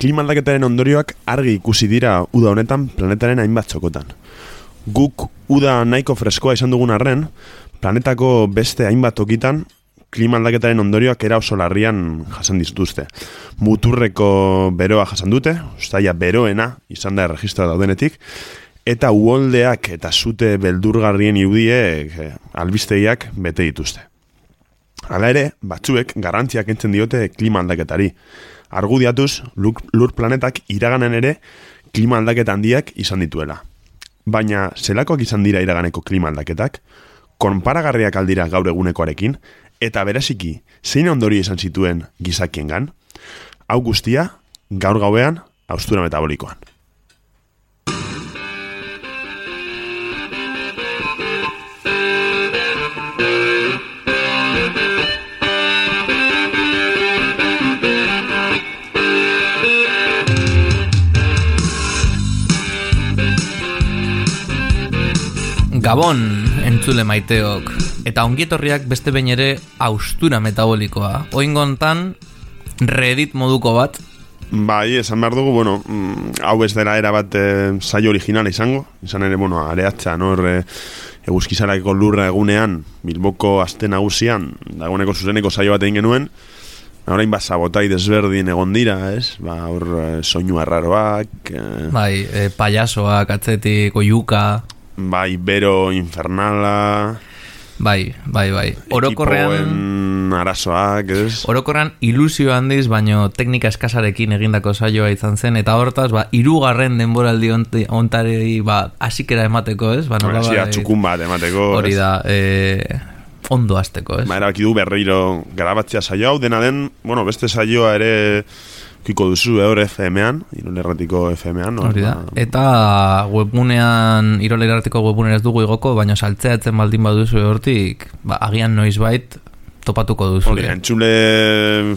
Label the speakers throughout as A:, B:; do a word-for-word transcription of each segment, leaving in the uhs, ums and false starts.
A: klima aldaketaren ondorioak argi ikusi dira uda honetan planetaren hainbat txokotan. Guk uda nahiko freskoa izan dugun arren, planetako beste hainbat tokitan klima aldaketaren ondorioak era oso larrian jasan dituzte. Muturreko beroa jasan dute, ustaia beroena izan da erregistroa daudenetik, eta uholdeak eta zute beldurgarrien irudiek eh, albistegiak bete dituzte. Hala ere, batzuek garrantziak entzen diote klima aldaketari. Argudiatuz, lur, lur planetak iraganen ere klima aldaketa handiak izan dituela. Baina, zelakoak izan dira iraganeko klima aldaketak, konparagarriak aldira gaur egunekoarekin, eta bereziki, zein ondorio izan zituen gizakiengan, hau guztia, gaur gauean, haustura metabolikoan.
B: Gabon, entzule maiteok, eta ongietorriak beste behin ere haustura metabolikoa. Oingontan, Reddit moduko bat.
A: Bai, esan behar dugu, bueno, hau ez dela era bat e, saio originala izango, izan ere, bueno, areatza, no, e, eguzkizarako lurra egunean, Bilboko aste nagusian, dagoeneko zuzeneko saio bat egin genuen, orain bat sabotai desberdin egon dira, ez? Ba, hor e, soinu arraroak... E,
B: bai, e, payasoak, atzetik, oiuka...
A: Bai, bero infernala...
B: Bai, bai, bai. Orokorrean...
A: Ekipoen arazoak, ez?
B: Orokorrean ilusio handiz, baino teknika eskasarekin egindako saioa izan zen, eta hortaz, ba, hirugarren denboraldi ontarei, ba, asikera emateko, ez? Ba, nola,
A: ba, txukun bat emateko,
B: hori da, e, ondo azteko, ez?
A: Ba, erabaki du berriro grabatzea saio hau, dena den, bueno, beste saioa ere... Kiko duzu, eur F M-an, Irolerratiko F M-an. No?
B: Hori da. Eta webgunean, Irolerratiko webgunean ez dugu igoko, baina saltzeatzen baldin baduzu hortik, ba, agian noizbait topatuko duzu.
A: Hori, entzule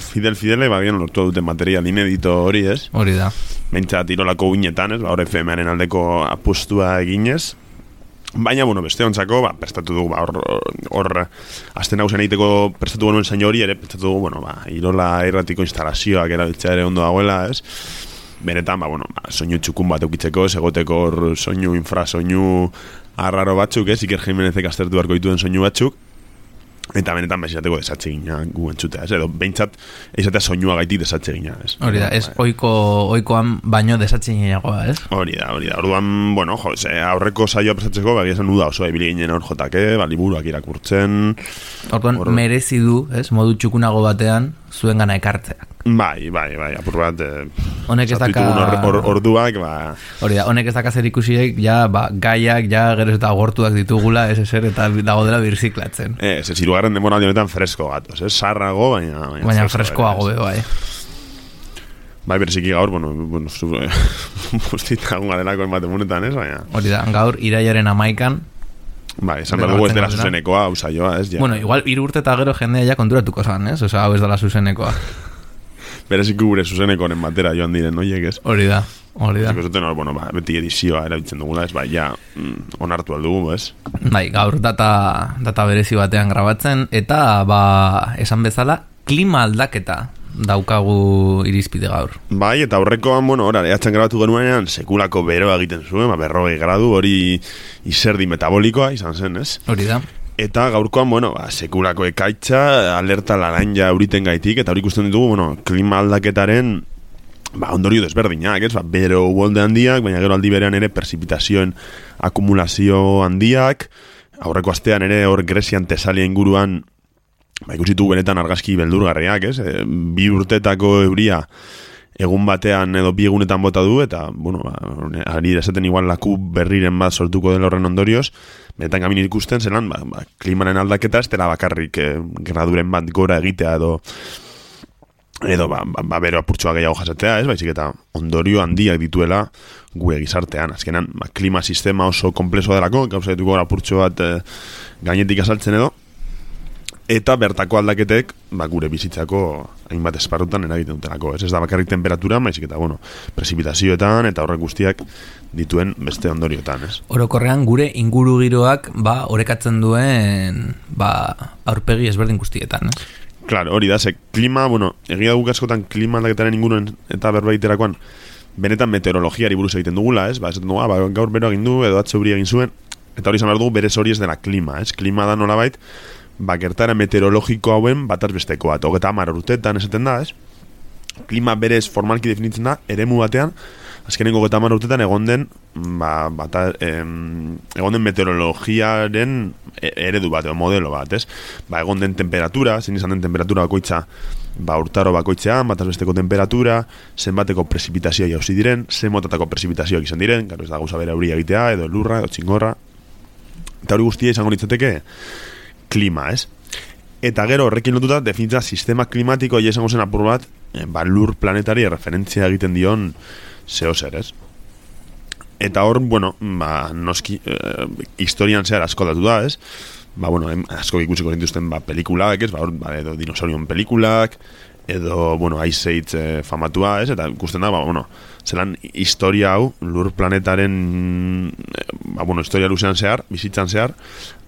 A: fidel-fidele, ba, agian lortu duten material inedito hori, ez?
B: Hori da.
A: Bentsat Irolako guinetan, ez? Ba, hor F M-aren aldeko apostua eginez. Baina, bueno, beste ontzako, ba, prestatu dugu, ba, hor, hor, azten hausen egiteko prestatu genuen zain hori, ere, prestatu dugu, bueno, ba, Irola irratiko instalazioak erabiltzea ere ondo dagoela, ez? Benetan, ba, bueno, ba, soinu txukun bat eukitzeko, segoteko hor soinu, infra, soinu arraro batzuk, ez? Iker Jimenezek aztertu beharko dituen soinu batzuk, eta benetan bezateko desatxe gina gu entzutea, ez? Edo, behintzat, eizatea soinua gaitik desatxe gina, ez?
B: Hori da, ez oiko, oikoan baino desatxe ginagoa, ez?
A: Hori da, hori da, orduan, bueno, jo, ze, aurreko saioa prestatzeko, bagia esan uda oso, ebili ginen hor jotake, ba, liburuak irakurtzen...
B: Orduan, or... merezi du, ez, modu txukunago batean, zuen gana ekartzeak.
A: Bai, bai, bai, apur bat... Eh,
B: honek ez daka...
A: Or, or, orduak, ba...
B: Hori da, honek ez daka zer ikusiek, ja, ba, gaiak, ja, gero eta gortuak ditugula, ez eser, eta dago dela birziklatzen.
A: Ez, ez, irugarren denbora honetan fresko gatoz, ez, sarrago, baina...
B: Baina, baina freskoago, be, bai.
A: Bai, berziki gaur, bueno, bueno, zu... Bustita gunga delako enbate munetan, ez, baina...
B: Hori da, gaur, iraiaren amaikan...
A: Bai, esan behar dugu ez dela zuzenekoa, usaioa, ez, ja.
B: Bueno, igual, hiru urte eta gero jendea ja konturatuko zan, ez? Osa, hau ez dela zuzenekoa.
A: Berezik gure zuzenekoen batera joan diren, noiek, ez?
B: Hori da, hori da.
A: Zuten, bueno, ba, beti edizioa erabiltzen dugula, ez, bai, ja, mm, onartu aldugu, ez?
B: Bai, gaur data, data berezi batean grabatzen, eta, ba, esan bezala, klima aldaketa daukagu irizpide gaur.
A: Bai, eta horrekoan, bueno, ora, ehatzen grabatu genuenean, sekulako beroa egiten zuen, ba, berrogei gradu, hori izerdi metabolikoa izan zen, ez?
B: Hori da.
A: Eta gaurkoan, bueno, ba, sekulako ekaitza, alerta laranja euriten gaitik, eta hori ikusten ditugu, bueno, klima aldaketaren ba, ondorio desberdinak, ez? Ba, bero uholde handiak, baina gero aldi berean ere persipitazioen akumulazio handiak, aurreko astean ere hor Grezian Tesalia inguruan ba, ikusitu benetan argazki beldurgarriak, ez? E, bi urtetako euria egun batean edo bi egunetan bota du, eta, bueno, ba, ari esaten igual laku berriren bat sortuko dela horren ondorioz, benetan gamin ikusten zelan, ba, ba, klimaren aldaketa ez dela bakarrik eh, graduren bat gora egitea edo edo ba, ba, ba bero apurtxoa gehiago jasatea, ez, baizik eta ondorio handiak dituela gue gizartean. Azkenan, ba, klima sistema oso komplexo delako, gauza dituko apurtxo bat eh, gainetik azaltzen edo, eta bertako aldaketek ba, gure bizitzako hainbat esparrutan eragiten dutelako. Ez, ez da bakarrik temperatura, maizik eta, bueno, prezipitazioetan eta horrek guztiak dituen beste ondoriotan, ez?
B: Orokorrean gure inguru giroak ba, orekatzen duen ba, aurpegi ezberdin guztietan, ez?
A: Claro, hori da, ze klima, bueno, egia guk askotan klima aldaketaren inguruen eta berbaiterakoan benetan meteorologiari buruz egiten dugula, ez? Ba, esaten dugu, ah, ba, gaur bero egin du, edo atze huri egin zuen, eta hori izan behar dugu berez hori ez dela klima, ez? Klima da nolabait, ba, gertara meteorologiko hauen bataz bestekoa, eta hogeta hamar urteetan esaten da, ez? Klima berez formalki definitzen da, eremu batean, azkenengo hogeta hamar urteetan egon den, ba, bata, em, egon den meteorologiaren eredu bat, edo modelo bat, ez? Ba, egon den temperatura, zein izan den temperatura bakoitza, ba, urtaro bakoitzean, bataz besteko temperatura, zenbateko prezipitazioa jauzi diren, zen motatako prezipitazioak izan diren, gero ez da gauza bere euria egitea, edo lurra, edo txingorra, eta hori guztia izango litzateke klima, ez? Eta gero horrekin lotuta definitza sistema klimatiko ja izango zen apur bat, ba, lur planetari referentzia egiten dion zeo zer, ez? Eta hor, bueno, ba, noski eh, historian zehar asko datu da, ez? Ba, bueno, em, asko ikusiko zintuzten ba, pelikulak, ez? Ba, hor, ba, edo dinosaurion pelikulak, edo, bueno, Ice Age eh, famatua, ez? Eta ikusten da, ba, bueno, zelan historia hau, lur planetaren, eh, ba, bueno, historia luzean zehar, bizitzan zehar,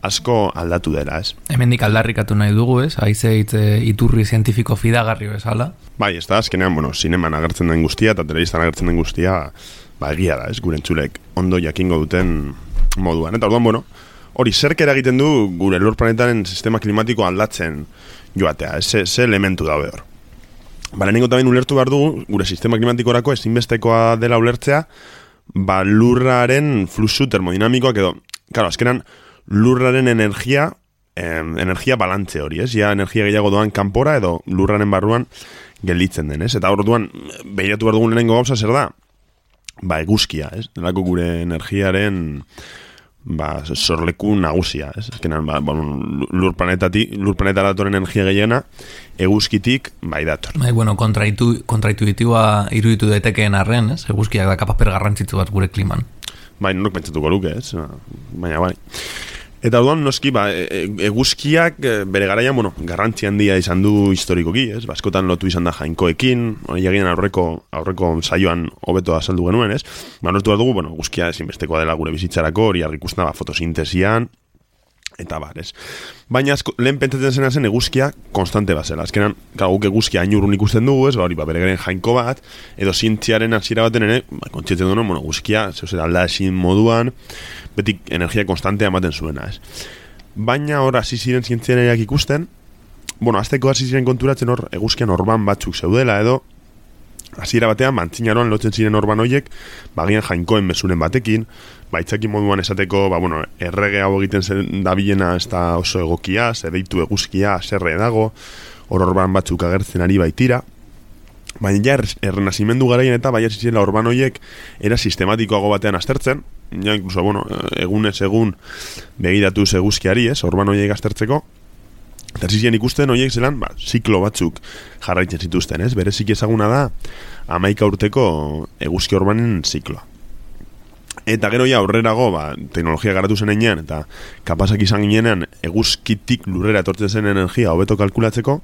A: asko aldatu dela, ez?
B: Hemendik aldarrikatu nahi dugu, ez? Ice Age eh, iturri zientifiko fidagarri bezala.
A: Bai, ez da, azkenean, bueno, zineman agertzen den guztia, eta telebistan agertzen den guztia, ba, egia da, ez? Gure entzulek ondo jakingo duten moduan. Eta orduan, bueno, hori zerk eragiten du gure lur planetaren sistema klimatiko aldatzen joatea, ez? Ze, ze elementu daude hor. Ba, lehenengo tabein ulertu behar dugu, gure sistema klimatikorako ezinbestekoa dela ulertzea, ba, lurraren fluxu termodinamikoak edo, claro, azkenan, lurraren energia, eh, energia balantze hori, ez? Ja, energia gehiago doan kanpora edo lurraren barruan gelditzen den, ez? Eta orduan, behiratu behar dugun lehenengo gauza zer da? Ba, eguzkia, ez? Delako gure energiaren ba, sorleku nagusia, ez? Ezkenan, ba, bueno, lur planetatik, lur planetara datoren energia gehiena, eguzkitik, bai dator.
B: Bai, bueno, kontraitu, kontraintuitiboa iruditu daitekeen arren, ez? Eguzkiak da kapaper garrantzitsu bat gure kliman.
A: Bai, norok pentsatuko luke, ez? Baina, bai. Eta orduan, noski, ba, eguzkiak bere garaian, bueno, garrantzi handia izan du historikoki, ez? Baskotan lotu izan da jainkoekin, hori egin aurreko, aurreko saioan hobeto azaldu genuen, ez? Ba, nortu behar dugu, bueno, eguzkia ezinbestekoa dela gure bizitzarako, hori argikusten ba, fotosintesian, eta bar, ez? Baina, asko, lehen pentsatzen zena zen eguzkia konstante bazela. Azkenan, guk eguzkia ainurrun ikusten dugu, ez? Ba, hori, ba, bere garen jainko bat, edo zientziaren hasiera baten ere, ba, kontxetzen duen, bueno, eguzkia, zeu zer, alda ezin moduan, betik energia konstantea ematen zuena, ez? Baina hor hasi ziren zientziareak ikusten, bueno, azteko hasi ziren konturatzen hor eguzkian orban batzuk zeudela edo hasiera batean mantzinaroan lotzen ziren orban hoiek, bagian jainkoen mezuren batekin, baitzaki moduan esateko, ba bueno, errege hau egiten zen dabilena ez da oso egokia, zer deitu eguzkia, zerre dago, hor orban batzuk agertzen ari baitira. Baina ja, errenazimendu garaien eta bai hasi ziren orban hoiek era sistematikoago batean aztertzen, ja, incluso, bueno, egunez egun begiratuz eguzkiari, ez, orban hoiek aztertzeko, eta hasi ziren ikusten hoiek zelan, ba, ziklo batzuk jarraitzen zituzten, ez, berezik ezaguna da hamaika urteko eguzki orbanen zikloa. Eta gero ja aurrerago, ba, teknologia garatu zen enean, eta kapazak izan ginean eguzkitik lurrera etortzen zen energia hobeto kalkulatzeko,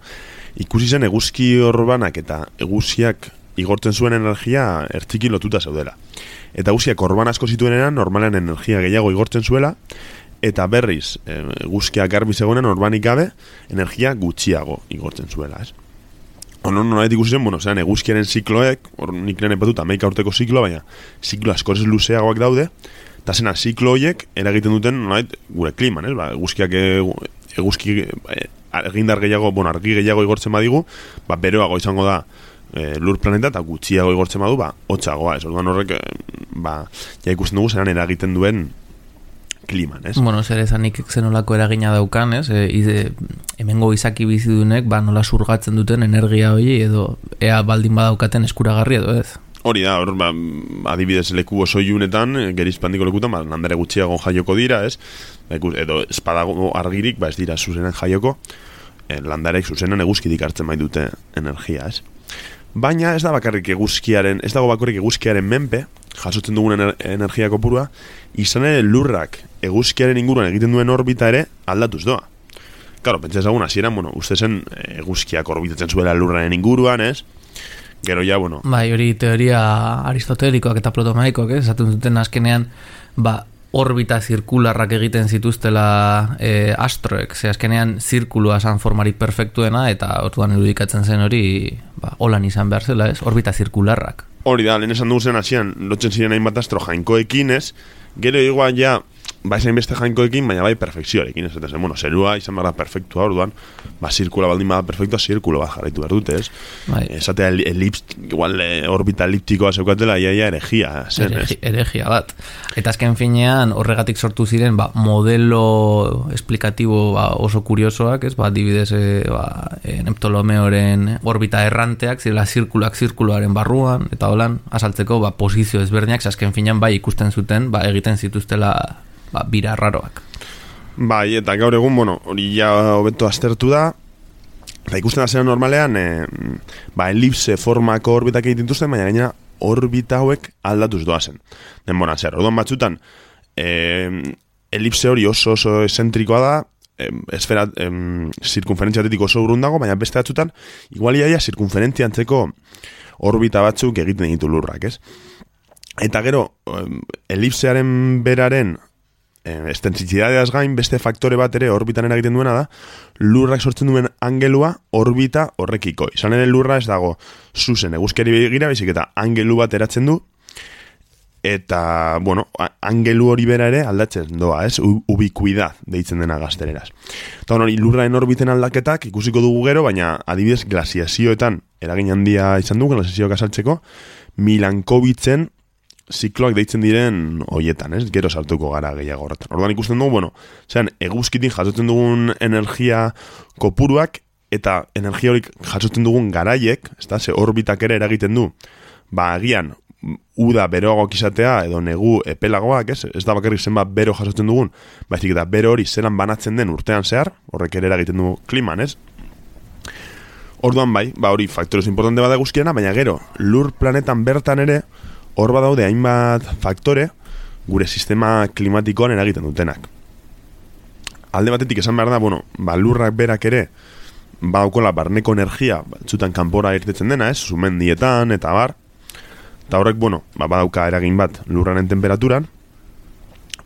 A: ikusi zen eguzki orbanak eta eguzkiak igortzen zuen energia ertziki lotuta zeudela. Eta eguzkiak orban asko zituenean normalean energia gehiago igortzen zuela, eta berriz eguzkiak garbi zegoenan orbanik gabe energia gutxiago igortzen zuela, ez? Ono nolait ikusi zen, bueno, zean eguzkiaren zikloek, hor nik lehen epatut hamaika urteko zikloa, baina ziklo askoz luzeagoak daude, eta zena ziklo horiek eragiten duten nolait gure kliman, ez? Ba, eguzkiak eguzki egindar gehiago, bueno, argi gehiago igortzen badigu, ba, beroago izango da e, lur planeta eta gutxiago igortzen badu, ba, hotzagoa, ez? Orduan horrek, ba, ja ikusten dugu zelan eragiten duen kliman, ez?
B: Bueno, zer ezanik zenolako eragina daukan, ez? E, ize, hemengo izaki bizidunek, ba, nola surgatzen duten energia hori, edo ea baldin badaukaten eskuragarri edo ez?
A: Hori da, hor, ba, adibidez leku oso iunetan, gerizpandiko lekutan, ba, landare gutxiago jaioko dira, ez? Edo espadago argirik, ba, ez dira zuzenen jaioko, e, landarek zuzenen eguzkitik hartzen bai dute energia, ez? Baina ez da bakarrik eguzkiaren, ez dago bakarrik eguzkiaren menpe, jasotzen dugun ener, energia kopurua, izan ere lurrak eguzkiaren inguruan egiten duen orbita ere aldatuz doa. Claro, pentsa ezagun hasieran, bueno, uste zen eguzkiak orbitatzen zuela lurraren inguruan, ez? Gero ja, bueno...
B: Bai, hori teoria aristotelikoak eta ptolemeikoak, ez? Esaten duten azkenean, ba, orbita zirkularrak egiten zituztela e, astroek, ze azkenean zirkulua san formari perfektuena, eta orduan irudikatzen zen hori, ba, holan izan behar zela, ez? Orbita zirkularrak.
A: Hori da, lehen esan dugu zen hasian, lotzen ziren hainbat astro jainkoekin, ez? Gero igual ja, ba esain beste jainkoekin, baina bai perfekzioarekin, ez? Eta zen, bueno, zerua izan behar da perfektua, orduan, ba zirkula baldin bada perfektua, zirkulo bat jarraitu behar dute, ez?
B: Bai.
A: Esatea elips, igual orbita eliptikoa zeukatela, iaia eregia zen,
B: Eregi,
A: ez?
B: Eregia bat. Eta azken finean horregatik sortu ziren ba, modelo esplikatibo ba, oso kuriosoak, ez? Ba, adibidez, e, ba, e, Neptolomeoren orbita erranteak, zirela zirkulak zirkuloaren barruan, eta holan, azaltzeko ba, posizio ezberdinak, azken finean bai ikusten zuten, ba, egiten zituztela ba, bira raroak.
A: Bai, eta gaur egun, bueno, hori ja hobeto aztertu da, eta ikusten da zera normalean, e, ba, elipse formako orbitak egiten dituzten, baina gainera orbita hauek aldatuz doazen. Denboran zer, orduan batzutan, e, elipse hori oso oso esentrikoa da, e, esfera, e, zirkunferentziatetik oso urrun dago, baina beste batzutan, igual iaia zirkunferentzia antzeko orbita batzuk egiten ditu lurrak, ez? Eta gero, elipsearen beraren estensizidadeaz gain beste faktore bat ere orbitan eragiten duena da, lurrak sortzen duen angelua orbita horrekiko. Izan ere lurra ez dago zuzen eguzkiari begira, baizik eta angelu bat eratzen du, eta, bueno, angelu hori bera ere aldatzen doa, ez? Ubikuidad deitzen dena gaztereraz. Eta hori, lurraen orbiten aldaketak ikusiko dugu gero, baina adibidez glasiazioetan eragin handia izan du, glasiazioak asaltzeko, Milankovitzen zikloak deitzen diren hoietan, ez? Gero sartuko gara gehiago horretan. Orduan ikusten dugu, bueno, zean, eguzkitin jasotzen dugun energia kopuruak eta energia horik jasotzen dugun garaiek, ez da, ze orbitak ere eragiten du, ba, agian, uda beroagoak izatea edo negu epelagoak, ez? Ez da bakarrik zenbat bero jasotzen dugun, baizik eta bero hori zelan banatzen den urtean zehar, horrek ere eragiten du kliman, ez? Orduan bai, ba hori faktorez importante bada eguzkiena, baina gero, lur planetan bertan ere, hor badaude hainbat faktore gure sistema klimatikoan eragiten dutenak. Alde batetik esan behar da, bueno, ba, lurrak berak ere badaukola barneko energia, batzutan kanpora irtetzen dena, ez, sumendietan eta bar, eta horrek, bueno, ba, badauka eragin bat lurraren temperaturan,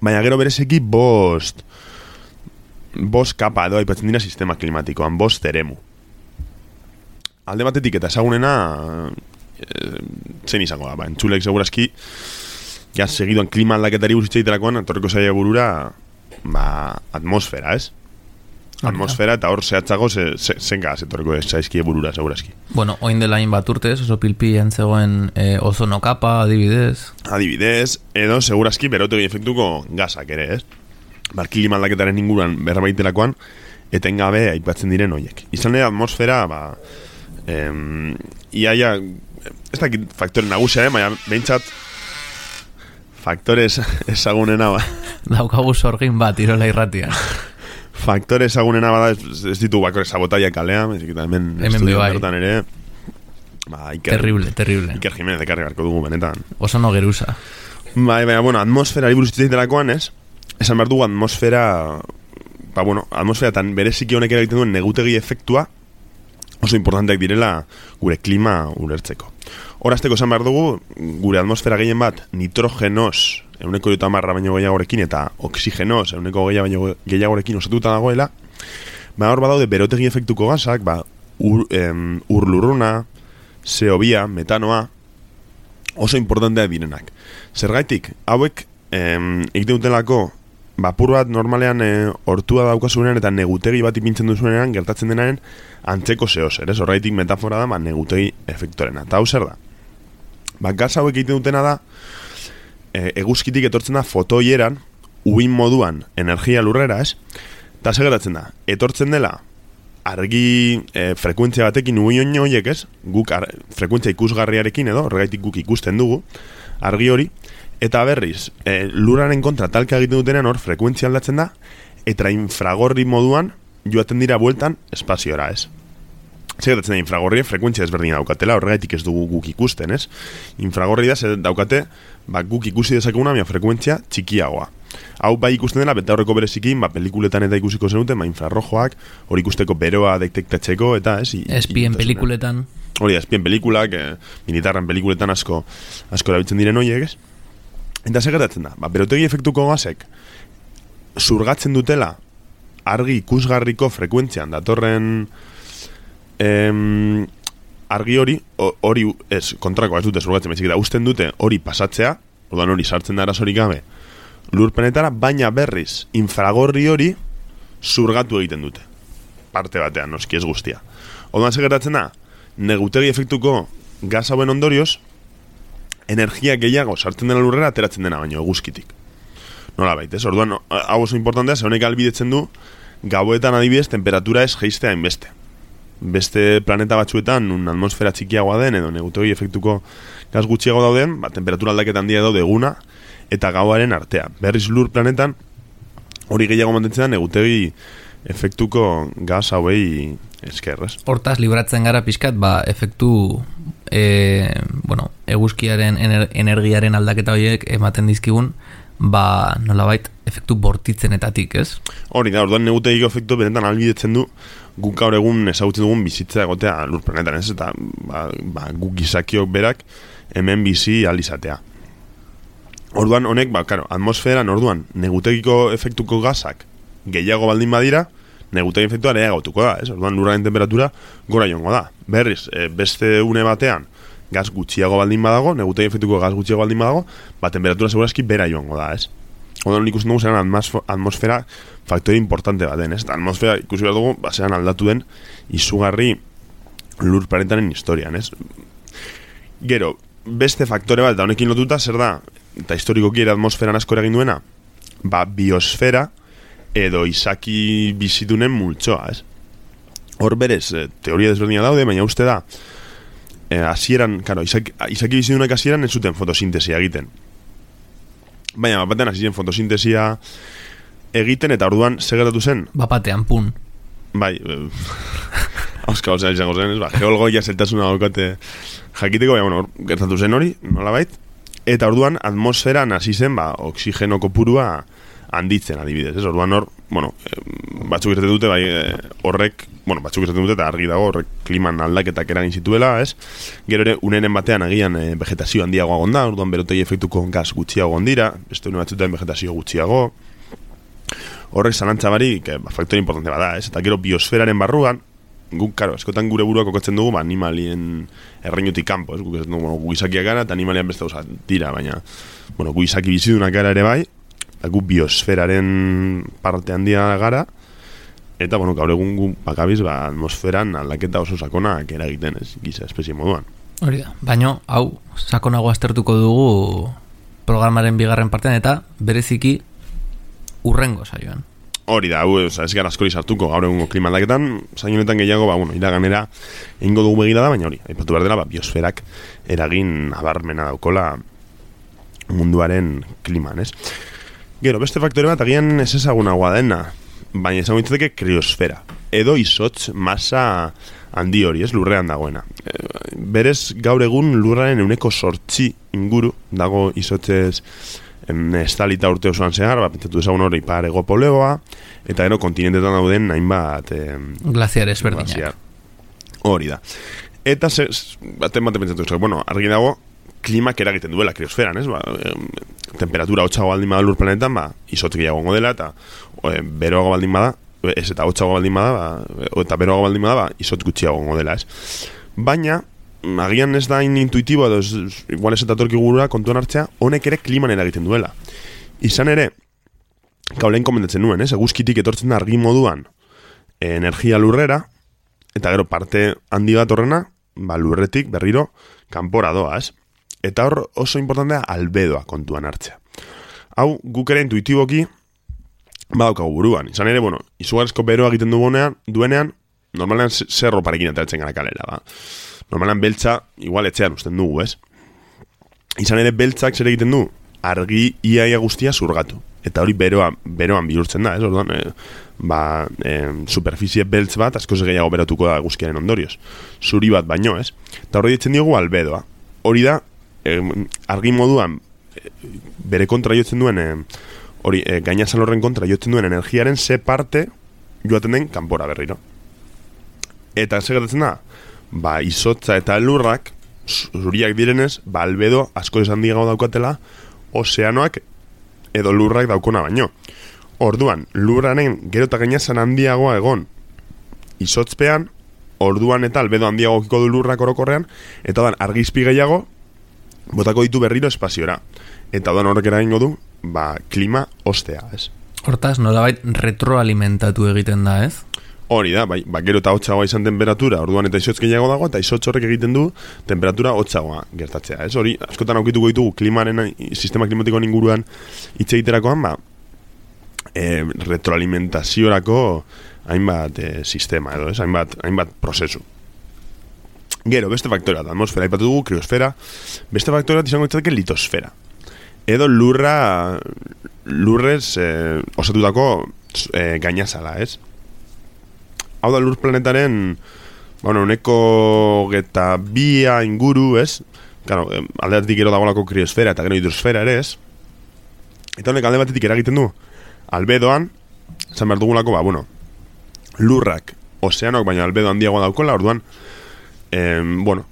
A: baina gero berezeki bost bost kapa edo aipatzen dira sistema klimatikoan, bost eremu. Alde batetik eta ezagunena zen izango da, ba, entzulek segurazki ja segidoan klima aldaketari buruzitzaitelakoan etorriko zaila burura ba, atmosfera, ez? Atmosfera eta hor zehatzago ze, ze, zenga etorriko zaizkie burura segurazki.
B: Bueno, oin dela hain bat urtez, oso pilpian zegoen e, ozono kapa, adibidez.
A: Adibidez, edo segurazki berotegi efektuko gazak ere, ez? Ba, klima aldaketaren inguruan berbaitelakoan etengabe aipatzen diren hoiek. Izan ere atmosfera, ba, em, iaia ez dakit faktore nagusia, eh? Baina behintzat faktore ezagunena ba.
B: Daukagu sorgin bat, irola irratian.
A: Faktore ezagunena bada ez, ez ditu bakore sabotaia kalea, hemen estudio bertan ere ba, Iker,
B: terrible, terrible.
A: Iker Jimenez ekarri garko dugu benetan.
B: Oso no geruza.
A: Bai, baina, bueno, atmosfera buruz itzaitelakoan, ez? Esan behar dugu atmosfera ba, bueno, atmosfera tan bereziki honek egiten duen negutegi efektua oso importanteak direla gure klima ulertzeko. Horazteko esan behar dugu, gure atmosfera gehien bat nitrogenos, euneko jota marra baino gehiagorekin, eta oxigenos, euneko gehiagorekin osatuta dagoela, ba hor badaude berotegi efektuko gazak, ba, ur, em, urlurruna, C O bi, metanoa, oso importanteak direnak. Zergaitik, hauek em, egiten dutelako, bapur bat normalean e, hortua daukasunean eta negutegi bat ipintzen duzunean gertatzen denaren antzeko zehoz, ere? Horraitik metafora da, ba, negutegi efektorena. Eta hau zer da? Ba, gaz hauek egiten dutena da, e, eguzkitik etortzen da fotoieran, uin moduan energia lurrera, ez? Eta zer gertatzen da? Etortzen dela, argi e, frekuentzia batekin uin horiek, ez? Guk ar, frekuentzia ikusgarriarekin edo, horregaitik guk ikusten dugu, argi hori, eta berriz, e, lurraren kontra talka egiten dutenean hor frekuentzia aldatzen da, eta infragorri moduan joaten dira bueltan espaziora, ez? Zegetatzen da, infragorri frekuentzia ezberdina daukatela, horregaitik ez dugu guk ikusten, ez? Infragorri da, zer daukate, ba, guk ikusi dezakeguna, mia frekuentzia txikiagoa. Hau bai ikusten dela, beta horreko berezikin, ba, pelikuletan eta ikusiko zenuten, ba, infrarrojoak, hori ikusteko beroa detektatzeko, eta, ez?
B: Espien pelikuletan.
A: Hori, espien pelikulak, e, militarren pelikuletan asko, asko erabiltzen diren horiek, ez? Eta segertatzen da, ba, berotegi efektuko gazek zurgatzen dutela argi ikusgarriko frekuentzian datorren em, argi hori, hori ez, kontrako ez dute zurgatzen, baizik eta usten dute hori pasatzea, orduan hori sartzen da arazorik gabe lurpenetara, baina berriz infragorri hori zurgatu egiten dute. Parte batean, noski ez guztia. Orduan segertatzen da, negutegi efektuko gaz hauen ondorioz, energia gehiago sartzen dena lurrera ateratzen dena baino eguzkitik. Nola baita, ez? Orduan, hau oso importantea, ze honek albidetzen du gauetan adibidez temperatura ez geistea inbeste. Beste planeta batzuetan un atmosfera txikiagoa den edo negutegi efektuko gaz gutxiago dauden, ba, temperatura aldaketan handia daude eguna eta gauaren artea. Berriz lur planetan hori gehiago mantentzen da negutegi efektuko gaz hauei eskerrez.
B: Hortaz, libratzen gara pixkat, ba, efektu e, bueno, eguzkiaren ener, energiaren aldaketa horiek ematen dizkigun, ba, nolabait, efektu bortitzenetatik, ez?
A: Hori da, orduan negutegiko efektu benetan albidetzen du guk gaur egun ezagutzen dugun bizitza egotea lur planetan, ez? Eta ba, ba, guk gizakiok berak hemen bizi alizatea. Orduan honek, ba, karo, atmosferan orduan negutegiko efektuko gazak gehiago baldin badira, negutegi efektua ere gautuko da, ez? Orduan lurraren temperatura gora joango da. Berriz, e, beste une batean gaz gutxiago baldin badago, negutegi efektuko gaz gutxiago baldin badago, ba, temperatura segurazki bera joango da, ez? Orduan ikusten dugu zeran atmosfera faktore importante baten, ez? Eta atmosfera ikusi behar dugu, ba, zeran aldatu den izugarri lur planetaren historian, ez? Gero, beste faktore bat, eta honekin lotuta, zer da, eta historikoki ere atmosferan asko eragin duena, ba, biosfera edo izaki bizitunen multzoa, ez? Hor berez, teoria desberdina daude, baina uste da, eh, hasieran, karo, izaki, izaki bizitunak hasieran ez zuten fotosintesia egiten. Baina, bapatean hasi zen fotosintesia egiten, eta orduan segertatu zen?
B: Bapatean, pun.
A: Bai, hauska hau zen izango zen, ez? Ba, geologoia zeltasuna daukate jakiteko, baina, bueno, gertatu zen hori, nolabait, eta orduan atmosferan hasi zen, ba, oksigeno kopurua handitzen adibidez, ez? Orduan hor, bueno, batzuk esaten dute, bai, horrek, bueno, batzuk esaten dute, eta argi dago, horrek kliman aldaketak eragin zituela, ez? Gero ere, uneren batean agian e, vegetazio handiagoa gonda, orduan berotegi efektuko gaz gutxiago gondira, beste une batzuetan vegetazio gutxiago, horrek zalantza barik, ba, faktore importante bada, ez? Eta gero biosferaren barruan, guk, karo, eskotan gure burua kokatzen dugu, ba, animalien erreinutik kanpo, ez? Guk esaten dugu, bueno, gu izakiak gara, eta animalian beste gauza dira, baina, bueno, gu izaki bizidunak gara ere bai, gu biosferaren parte handia gara, eta, bueno, gaur egun gu bakabiz, ba, atmosferan aldaketa oso sakonak eragiten, ez, giza espezie moduan. Hori
B: da, baina, hau, sakonago aztertuko dugu programaren bigarren partean, eta bereziki urrengo saioan.
A: Hori da, hau, oza, ez gara askori sartuko gaur egungo klima aldaketan, saionetan gehiago, ba, bueno, iraganera egingo dugu begira da, baina hori, aipatu behar dela, ba, biosferak eragin abarmena daukola munduaren kliman, ez? Gero, beste faktore bat agian ez ezagunagoa dena, baina ezagun ditzateke kriosfera, edo izotz masa handi hori, ez, lurrean dagoena. E, berez, gaur egun lurraren euneko sortzi inguru dago izotzez estalita urte osoan zehar, bat pentsatu ezagun hori ipar ego polegoa, eta gero kontinentetan dauden hainbat e,
B: glaziar ezberdinak.
A: Hori da. Eta, ze, baten baten pentsatu ezagun, bueno, argi dago, klimak eragiten duela kriosferan, ez? Ba, e, temperatura hotxago baldin bada lur planetan, ba, izotz gehiago dela, eta e, beroago baldin bada, ez eta hotxago baldin bada, ba, eta beroago baldin bada, ba, izotz gutxiago dela, ez? Baina, agian ez da intuitibo, edo ez, igual ez eta torki gurura kontuan hartzea, honek ere kliman eragiten duela. Izan ere, kaulein komentatzen nuen, ez? Eguzkitik etortzen da argi moduan energia lurrera, eta gero parte handi bat horrena, ba, lurretik berriro kanpora doa, ez? Eta hor oso importantea albedoa kontuan hartzea. Hau, guk ere intuitiboki badaukagu buruan. Izan ere, bueno, izugarrizko beroa egiten dugunean, duenean, normalean zerro parekin ateratzen gara kalera, ba. Normalean beltza, igual etxean usten dugu, ez? Izan ere, beltzak zer egiten du, argi iaia guztia zurgatu. Eta hori beroa, beroan bihurtzen da, ez? Orduan, e, ba, e, superficie beltz bat, asko gehiago berotuko da guzkiaren ondorioz. Zuri bat baino, ez? Eta hori ditzen diogu albedoa. Hori da, e, argi moduan, e, bere kontra jotzen duen, e, hori, e, gainazal horren kontra jotzen duen energiaren ze parte joaten den kanpora berriro. Eta ze gertatzen da, ba, izotza eta lurrak, zuriak direnez, ba, albedo asko esan digago daukatela ozeanoak edo lurrak daukona baino. Orduan, lurraren gero eta gainazan handiagoa egon izotzpean, orduan eta albedo handiago kiko du lurrak orokorrean, eta dan argizpi gehiago botako ditu berriro espaziora. Eta dan horrek eragingo du, ba, klima ostea, ez?
B: Hortaz, nolabait retroalimentatu egiten da, ez?
A: Hori da, bai, ba, gero eta hotxagoa izan temperatura, orduan eta izotz gehiago dago, eta izotz horrek egiten du temperatura hotxagoa gertatzea, ez? Hori, askotan aukituko ditugu klimaren, sistema klimatikoan inguruan hitz egiterakoan, ba, e, retroalimentaziorako hainbat e, sistema, edo, ez? Hainbat, hainbat prozesu. Gero, beste faktorea, atmosfera aipatu dugu, kriosfera, beste faktorea izango ditzateke litosfera. Edo lurra, lurrez e, osatutako e, gainazala, ez? Hau da lur planetaren, bueno, uneko geta bia inguru, ez? Claro, alde batetik gero dagoelako kriosfera eta gero hidrosfera ere, ez? Eta honek alde batetik eragiten du, albedoan, zan behar dugulako, ba, bueno, lurrak, ozeanok, baina albedo handiagoa daukola, orduan, eh, bueno,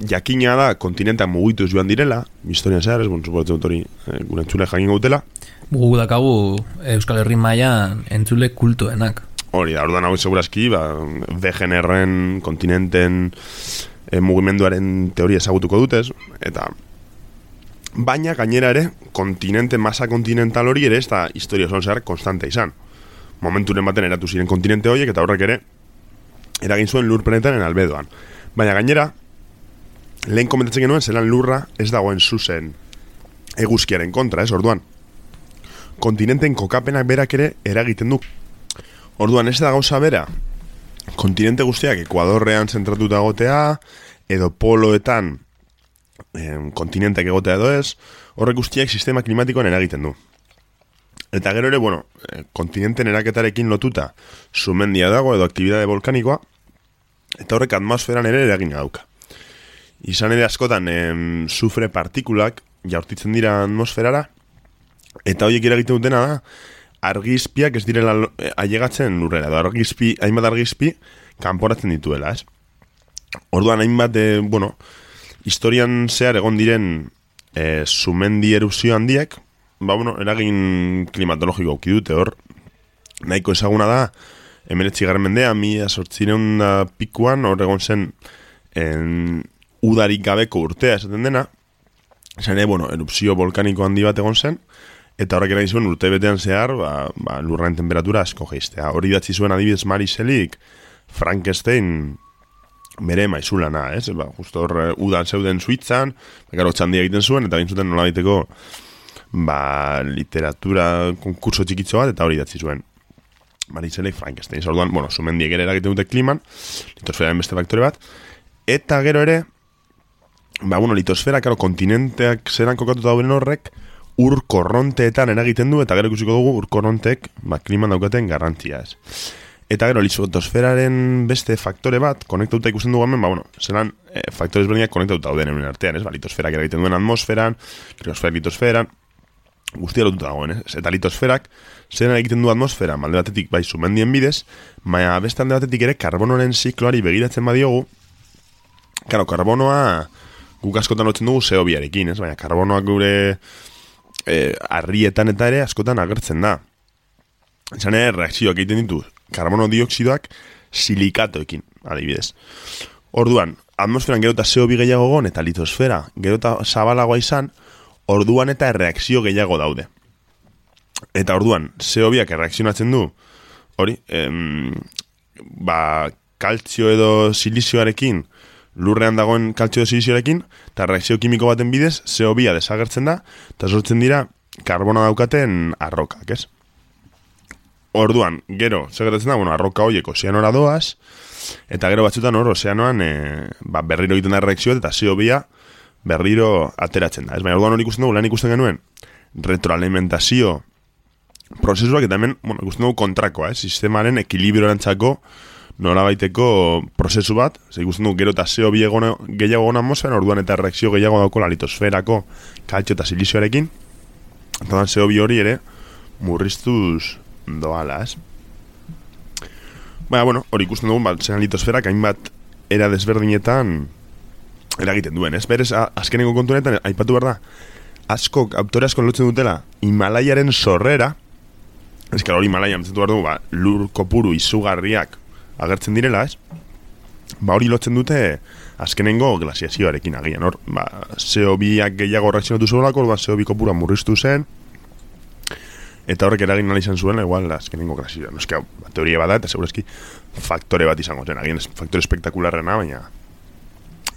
A: jakina da kontinentak mugituz joan direla, historia zehar, ez, bueno, suportzen dut hori, eh, gure entzule jakin gautela.
B: Gugu dakagu Euskal Herri mailan entzule kultuenak.
A: Hori da, orduan hau segurazki, ba, D G N R-en, kontinenten e, mugimenduaren teoria ezagutuko dutez, eta baina gainera ere, kontinente, masa kontinental hori ere, ez da historia oso zehar konstante izan. Momenturen baten eratu ziren kontinente horiek, eta horrek ere, eragin zuen lur planetaren albedoan. Baina gainera, lehen komentatzen genuen, zelan lurra ez dagoen zuzen eguzkiaren kontra, ez, orduan. Kontinenten kokapenak berak ere eragiten du. Orduan, ez da gauza bera, kontinente guztiak Ekuadorrean zentratuta egotea, edo poloetan eh, kontinentek egotea edo ez, horrek guztiak sistema klimatikoan eragiten du. Eta gero ere, bueno, eh, kontinenten eraketarekin lotuta sumendia dago edo aktibidade volkanikoa, eta horrek atmosferan ere eragina dauka. Izan ere askotan, eh, sufre partikulak jaurtitzen dira atmosferara, eta horiek eragiten dutena da, argizpiak ez direla ailegatzen lurrera, edo argizpi, hainbat argizpi kanporatzen dituela, ez? Orduan hainbat, e, bueno, historian zehar egon diren e, sumendi erupzio handiek, ba, bueno, eragin klimatologiko auki dute hor, nahiko ezaguna da, hemeretzi garren mendea, mila zortzireun da pikuan, hor egon zen en, udarik gabeko urtea esaten dena, zen, e, bueno, erupzio volkaniko handi bat egon zen, eta horrek eragin zuen urte betean zehar, ba, ba, lurraren temperatura asko geistea. Hori datzi zuen adibidez Mary Shelleyk Frankenstein bere maizulana, ez? Ba, justo hor udan zeuden Suitzan, gero txandia egiten zuen, eta egin zuten nola baiteko ba, literatura konkurso txikitzo bat, eta hori datzi zuen Mary Shelleyk Frankenstein. Orduan, bueno, sumendiek ere eragiten dute kliman, litosferaren beste faktore bat, eta gero ere, ba, bueno, litosfera, karo, kontinenteak zeran kokatuta dauden horrek, ur korronteetan eragiten du, eta gero ikusiko dugu ur korronteek ba, kliman daukaten garrantzia ez. Eta gero, litosferaren beste faktore bat, konektauta ikusten dugu hemen, ba, bueno, zelan e, faktore ezberdinak konektauta dauden hemen artean, ez? Ba, litosferak eragiten duen atmosferan, kriosfera litosferan, guztia lotuta dagoen, ez? Eta litosferak, zelan egiten du atmosfera, alde batetik bai sumendien bidez, baina beste alde batetik ere karbonoren zikloari begiratzen badiogu, karo, karbonoa guk askotan lotzen dugu C O biarekin, ez? Baina karbonoak gure Eh, arrietan eta ere askotan agertzen da. Izan ere, reakzioak egiten ditu karbono dioksidoak silikatoekin, adibidez. Orduan, atmosferan gero eta C O bi gehiago gon, eta litosfera gero eta zabalagoa izan, orduan eta erreakzio gehiago daude. Eta orduan, C O biak erreakzionatzen du, hori, em, ba, kaltzio edo silizioarekin, lurrean dagoen kaltzio edo silizioarekin, eta reakzio kimiko baten bidez, C O bia desagertzen da, eta sortzen dira karbono daukaten arrokak, ez? Orduan, gero, segertatzen da, bueno, arroka horiek ozeanora doaz, eta gero batzutan hor, ozeanoan e, ba, berriro egiten da reakzioa, eta C O bia berriro ateratzen da. Ez baina, orduan hori ikusten dugu, lan ikusten genuen, retroalimentazio prozesuak, eta hemen, bueno, ikusten dugu kontrakoa, ez? Sistemaren ekilibrorantzako nola baiteko prozesu bat, ze ikusten dugu gero eta C O bi gehiago gona atmosferan, orduan eta reakzio gehiago dauko la litosferako kaltzio eta silizioarekin, eta C O bi hori ere murriztuz doala, ez? Baina, bueno, hori ikusten dugu, bat, zelan litosferak hainbat era desberdinetan eragiten duen, ez? Berez, azkeneko kontunetan, aipatu behar da, asko, autore asko lotzen dutela Himalaiaren sorrera, ez que hori Himalaian entzetu behar dugu, ba, lur kopuru izugarriak agertzen direla, ez? Ba, hori lotzen dute azkenengo glasiazioarekin agian, hor, ba, C O biak gehiago reakzionatu zuelako, ba, C O bi kopura murriztu zen, eta horrek eragin nahi izan zuela, igual, azkenengo glasiazioa. No, eski, ba, teoria bada, eta segurazki faktore bat izango zen, agian ez faktore espektakularrena, baina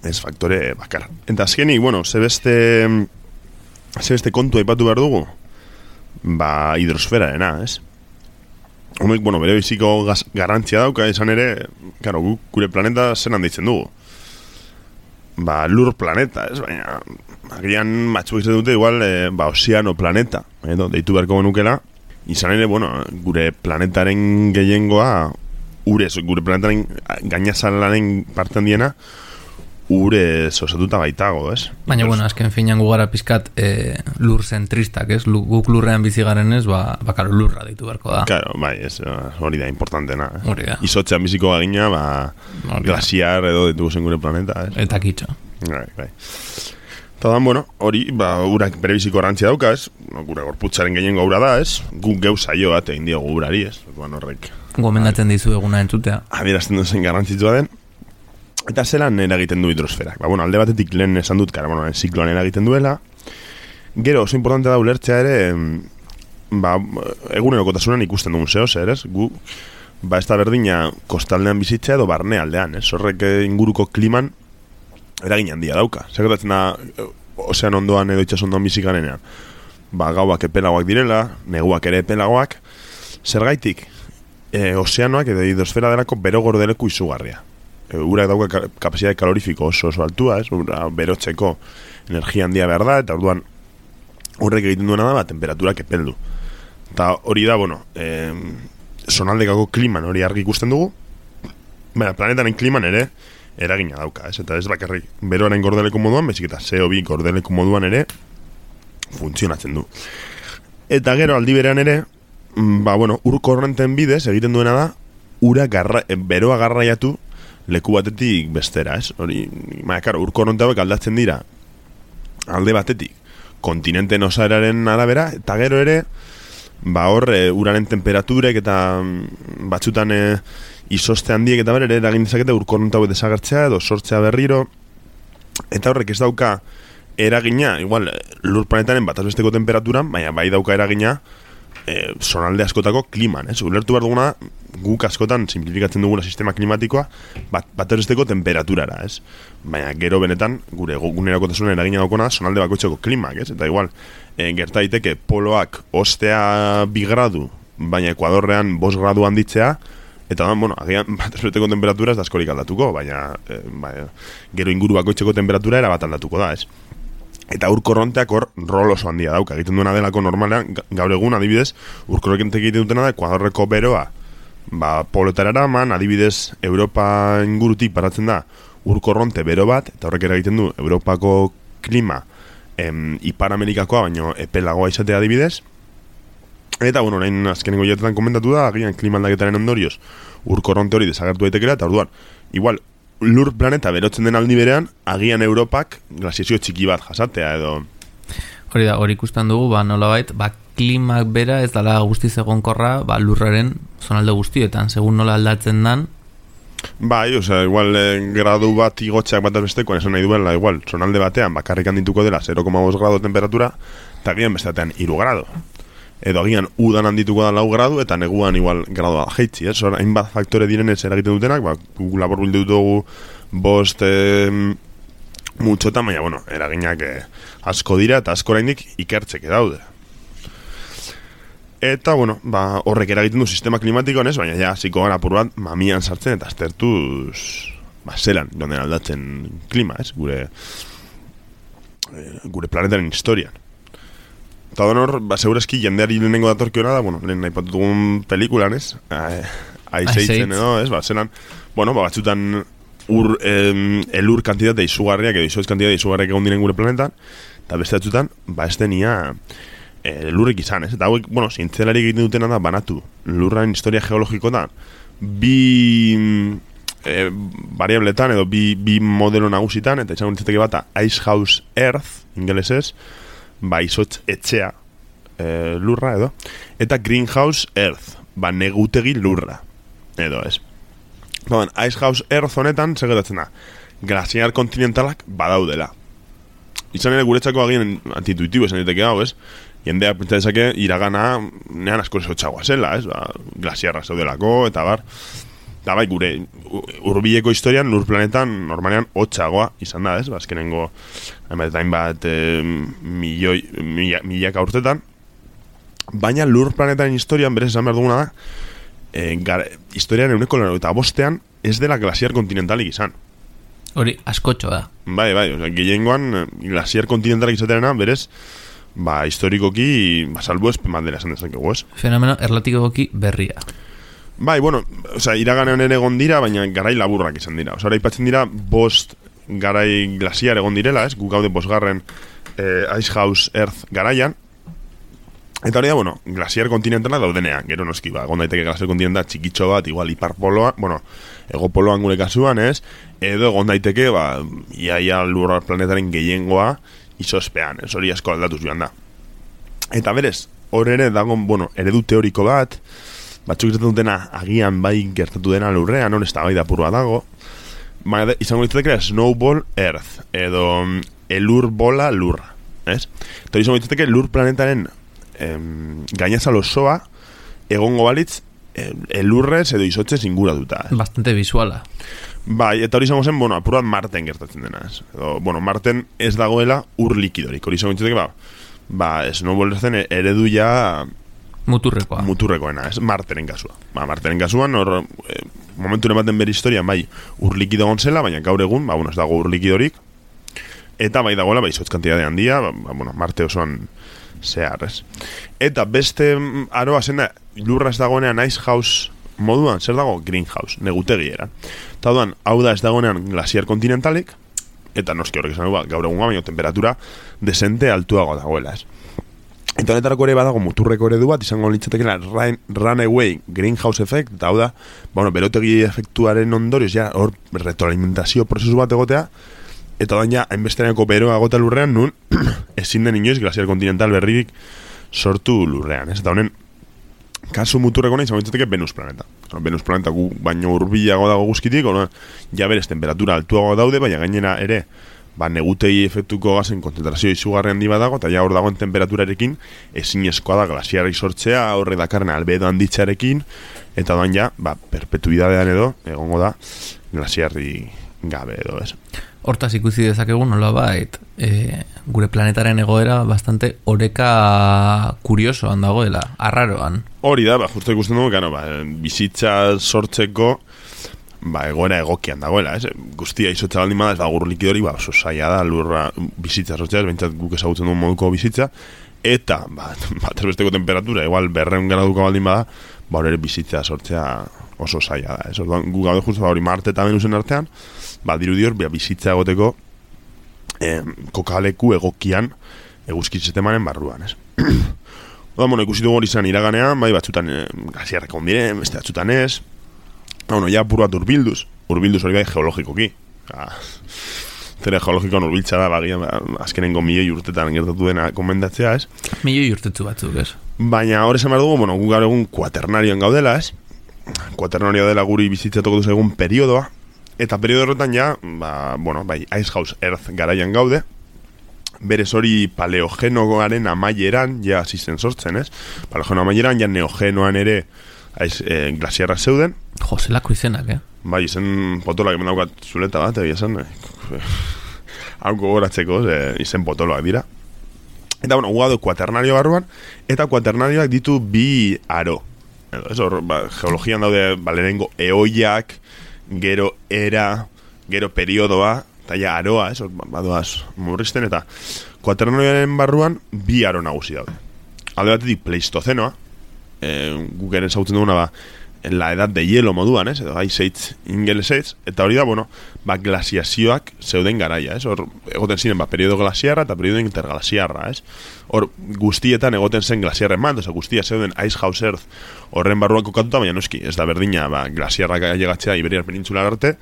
A: ez faktore bakar. Eta azkenik, bueno, zebeste, zebeste kontu aipatu behar dugu, ba, hidrosferarena, ez? Homek, bueno, bere biziko gaz, garantzia dauka, esan ere, claro, gure planeta zen handitzen dugu. Ba, lur planeta, ez? Baina, agian batzuk izan dute, igual, e, ba, ozeano planeta, edo, deitu beharko genukela, izan ere, bueno, gure planetaren gehiengoa, urez, gure planetaren gainazalaren parte handiena, urez osatuta baitago, ez?
B: Baina, bueno, azken finean gugara pizkat e, lur zentristak, ez? Guk lurrean bizi garen ez, ba, bakaro lurra ditu beharko da.
A: Claro, bai, ez, hori da importantena. Eh?
B: Hori da.
A: Izotzean biziko gagina, ba, glasiar edo ditugu zen gure planeta, ez?
B: Eta kitxo.
A: Bai, bai. Eta dan, bueno, hori, ba, urak bere biziko garrantzia dauka, ez? Gure gorputzaren gehiengo ura da, ez? Guk geu saio bat egin diogu urari, ez? Bueno, horrek.
B: Gomendatzen dizu eguna entzutea.
A: Adierazten duzen garrantzitsua den. Eta zelan eragiten du hidrosferak. Ba, bueno, alde batetik lehen esan dut, kara, bueno, zikloan eragiten duela. Gero, oso importante da ulertzea ere, ba, egunerokotasunan ikusten dugun zehoz, ere, ez? Gu, ba, ez da berdina kostaldean bizitzea edo barne aldean, ez? Horrek inguruko kliman eragin handia dauka. Zergatzen da, ozean ondoan edo itxas ondoan bizikanean. Ba, gauak epelagoak direla, neguak ere epelagoak. Zergaitik, e, ozeanoak edo hidrosfera delako bero gordeleku izugarria. Urak dauka kapasitate kalorifiko oso oso altua, ez? Ura berotzeko energia handia behar da, eta orduan horrek egiten duena da, ba, temperaturak epeldu. Eta hori da, bueno, eh, zonaldekako kliman hori argi ikusten dugu, baina planetaren kliman ere eragina dauka, ez? Eta ez bakarrik beroaren gordeleko moduan, bezik eta C O bi gordeleko moduan ere funtzionatzen du. Eta gero aldi berean ere, ba, bueno, ur korrenten bidez egiten duena da, ura garra, beroa garraiatu leku batetik bestera, ez? Hori, baina, karo, ur korronte hauek aldatzen dira alde batetik kontinenten osaeraren arabera, eta gero ere ba hor, e, uraren temperaturek eta batzutan e, izoste handiek eta bere eragin dezakete ur korronte hauek desagertzea edo sortzea berriro, eta horrek ez dauka eragina, igual, lur planetaren bat azbesteko temperaturan, baina bai dauka eragina E, zonalde askotako kliman, ez? Ulertu behar duguna, guk askotan simplifikatzen duguna sistema klimatikoa bat, bat erosteko temperaturara, ez? Baina gero benetan, gure gunerakotasunen eragina daukona zonalde bakoitzeko klimak, ez? Eta igual, e, gerta daiteke poloak ostea bi gradu, baina Ekuadorrean bost gradu handitzea, eta da, bueno, agian bat erosteko temperatura ez da askorik aldatuko, baina, e, baina gero inguru bakoitzeko temperatura era bat aldatuko da, ez? Eta urkorronteak hor rol oso handia dauka. Egiten duena delako normalean, gaur egun adibidez, urkorronteak egiten dutena da Ekuadorreko beroa ba, polotara eraman, adibidez Europa ingurutik paratzen da urkorronte bero bat, eta horrek ere egiten du Europako klima em, Ipar Amerikakoa, baino epelagoa izatea adibidez. Eta, bueno, orain azkenengo jatetan komentatu da, agian klima aldaketaren ondorioz urkorronte hori desagertu daitekela, eta orduan, igual, lur planeta berotzen den aldi berean, agian Europak glasiazio txiki bat jasatea edo...
B: Hori da, hori ikusten dugu, ba, nolabait, ba, klimak bera ez dala guztiz egonkorra, ba, lurraren zonalde guztietan, segun nola aldatzen dan.
A: Bai, osea, igual eh, gradu bat igotxeak bat bestekoan esan nahi duela, igual, zonalde batean bakarrik handituko dela zero koma bost gradu temperatura, eta agian besteatean hiru gradu. Edo agian udan handituko da lau gradu, eta neguan igual gradu jaitzi, ez? Hor, hainbat faktore direnez eragiten dutenak, ba, labor bildu dugu bost eh, mutxota, baina, bueno, eraginak eh, asko dira, eta asko oraindik ikertzeke daude. Eta, bueno, ba, horrek eragiten du sistema klimatikoan, ez? Baina, ja, ziko gara apur bat, mamian sartzen, eta aztertuz, ba, zelan, jonden aldatzen klima, ez? Gure, eh, gure planetaren historian. Eta donor, ba, segurazki jendeari lehenengo datorkiona da, bueno, lehen nahi patutugun pelikulan, ez? Aizeitzen edo, ez? Ba, zelan, bueno, ba, batzutan ur, em, elur kantitate izugarriak edo izoiz kantitate izugarriak egon diren gure planetan, eta beste batzutan, ba, ez denia e, lurrik izan, ez? Eta hauek, bueno, zientzialari egiten dutena da, banatu lurraren historia geologiko da, bi e, variabletan edo bi, bi modelo nagusitan, eta izan ditzeteke bata Ice House Earth, ingelesez, ba, izotz etxea e, lurra, edo, eta greenhouse earth, ba, negutegi lurra, edo, ez. Baina, icehouse earth honetan, segetatzen da, glaziar kontinentalak badaudela. Izan ere guretzako agien antituitibo esan diteke hau, ez? Jendeak pentsa dezake iragana nean asko esotxagoa zela, ez? Ba, glaziarra zeudelako, eta bar. Eta bai, gure hurbileko historian, lur planetan normalean hotxagoa izan da, ez? Ba, azkenengo, hainbat, hainbat e, milioi, mila, milaka urtetan. Baina lur planetaren historian, berez esan behar duguna da, e, gara, historian euneko lano eta bostean ez dela glaziar kontinentalik izan.
B: Hori, askotxo da.
A: Bai, bai, oza, gehiengoan glaziar kontinentalak izatearena, berez, ba, historikoki, ba, salbu ez pemandela esan dezakegu, ez?
B: Fenomeno erlatikoki berria.
A: Bai, bueno, oza, iraganean ere egon dira, baina garai laburrak izan dira. Oza, ipatzen dira, bost garai glaziar egon direla, ez? Gu gaude bosgarren eh, Icehouse Earth garaian. Eta hori da, bueno, glaziar kontinentala daudenean, gero noski, ba, egon daiteke glaziar kontinenta txikitxo bat, igual hiparpoloa, bueno, egopoloan gure kasuan, ez? Edo egon daiteke, ba, iaia lurra planetaren gehiengoa izospean, ez hori asko aldatuz joan da. Eta berez, hor ere dago, bueno, eredu teoriko bat, batzuk izaten dutena agian bai gertatu dena lurrean, hor ez da bai da purua dago, baina izango ditzatekera snowball earth, edo elur bola lurra, ez? Eta hori izango ditzateke lur planetaren em, gainazal osoa egongo balitz em, elurrez edo izotzez inguratuta.
B: Bastante visuala.
A: Bai, eta hori izango zen, bueno, apurat Marten gertatzen dena, ez? Edo, bueno, Marten ez dagoela ur likidorik, hori izango ditzateke, ba, ba, snowball zen eredu ja
B: muturrekoa.
A: Muturrekoena, ez? Marteren kasua. Ba, Marteren kasuan, hor, e, momentu ematen bere historian, bai, ur likido gontzela, baina gaur egun, ba, bueno, ez dago ur likidorik, eta bai dagoela, bai, izotz kantidade handia, ba, ba, bueno, Marte osoan zehar, ez? Eta beste aroa zena, lurra ez dagoenean Icehouse moduan, zer dago? Greenhouse, negutegi eran. Eta duan, hau da ez dagoenean glaziar kontinentalik, eta noski horrek esan, ba, gaur egun baina temperatura desente altuago dagoela, ez? Eta honetarako ere badago muturreko eredu bat, izango litzatekela runaway greenhouse effect, eta hau da, bueno, berotegi efektuaren ondorioz, ja, hor retroalimentazio prozesu bat egotea, eta odan ja, hainbesteraneko beroa gota lurrean, nun, ezin den inoiz glaziar kontinental berririk sortu lurrean, ez? Eta honen, kasu muturreko nahi, izango litzateke Venus planeta. Venus planeta gu baino hurbilago dago guzkitik, ono, ja berez temperatura altuago daude, baina gainera ere, ba, negutei efektuko gazen konzentrazio izugarri handi bat dago, eta ja hor dagoen temperaturarekin ezin eskoa da glasiarri sortzea, horre dakarren albedo handitzarekin, eta doan ja, ba, perpetuidadean edo, egongo da, glasiarri gabe edo, ez?
B: Hortaz ikusi dezakegu nola bait, e, gure planetaren egoera bastante oreka kuriosoan dagoela, arraroan.
A: Hori da, ba, justo ikusten dugu, gano, ba, bizitza sortzeko, ba, egoera egokian dagoela, ez? Guztia izotza baldin bada, ez da gur likidori, ba, oso saia da, lurra bizitza sortzea, ez bentsat guk ezagutzen duen moduko bizitza, eta, ba, bat erbesteko temperatura, igual berreun graduko baldin bada, ba, hori bizitza sortzea oso saia da, ez? Orduan, gu gaude justu, ba, hori Marte eta Venusen artean, ba, dirudior, ba, bizitza egoteko eh, kokaleku egokian eguzki sistemaren barruan, ez? Oda, bueno, ikusi dugu hori izan iraganean, bai, batzutan eh, gaziarreko ondiren, beste batzutan ez. Bueno, ja puro bat urbilduz. Urbilduz hori bai geologikoki. Ah, zere geologikoan urbiltza da, bagia, azkenengo milioi urtetan gertatu dena komendatzea, ez?
B: Milioi urtetzu batzuk, ez?
A: Baina hori esan behar dugu, bueno, gu gaur egun kuaternarioan gaudela, ez? Kuaternario dela guri bizitzatuko duz egun periodoa. Eta periodo horretan ja, ba, bueno, bai, Icehouse Earth garaian gaude. Berez hori paleogenoaren amaieran, ja, asisten sortzen, ez? Paleogeno amaieran, ja, neogenoan ere aiz, e, glasiarra zeuden.
B: Jo, zelako izenak, eh?
A: Bai, izen potoloak eman daukat zuleta bat, egia esan. Hauko goratzeko, e, izen potoloak dira. Eta, bueno, gugado kuaternario barruan, eta kuaternarioak ditu bi aro. Edo, ez hor, ba, geologian daude, balerengo eoiak, gero era, gero periodoa, eta ja aroa, ez, hor, badoaz murrizten, eta kuaternarioaren barruan bi aro nagusi daude. Alde batetik pleistozenoa, e, guk eren zautzen duguna, ba, la edad de hielo moduan, ez, edo Ice Age ingelesez, eta hori da, bueno, ba, glasiazioak zeuden garaia, ez, hor, egoten ziren, ba, periodo glasiarra eta periodo interglasiarra, ez, hor, guztietan egoten zen glasiarren bat, oza, guztia zeuden Icehouse Earth horren barruan kokatuta, baina noski, ez da berdina, ba, glasiarrak llegatzea Iberiar penintsular arte,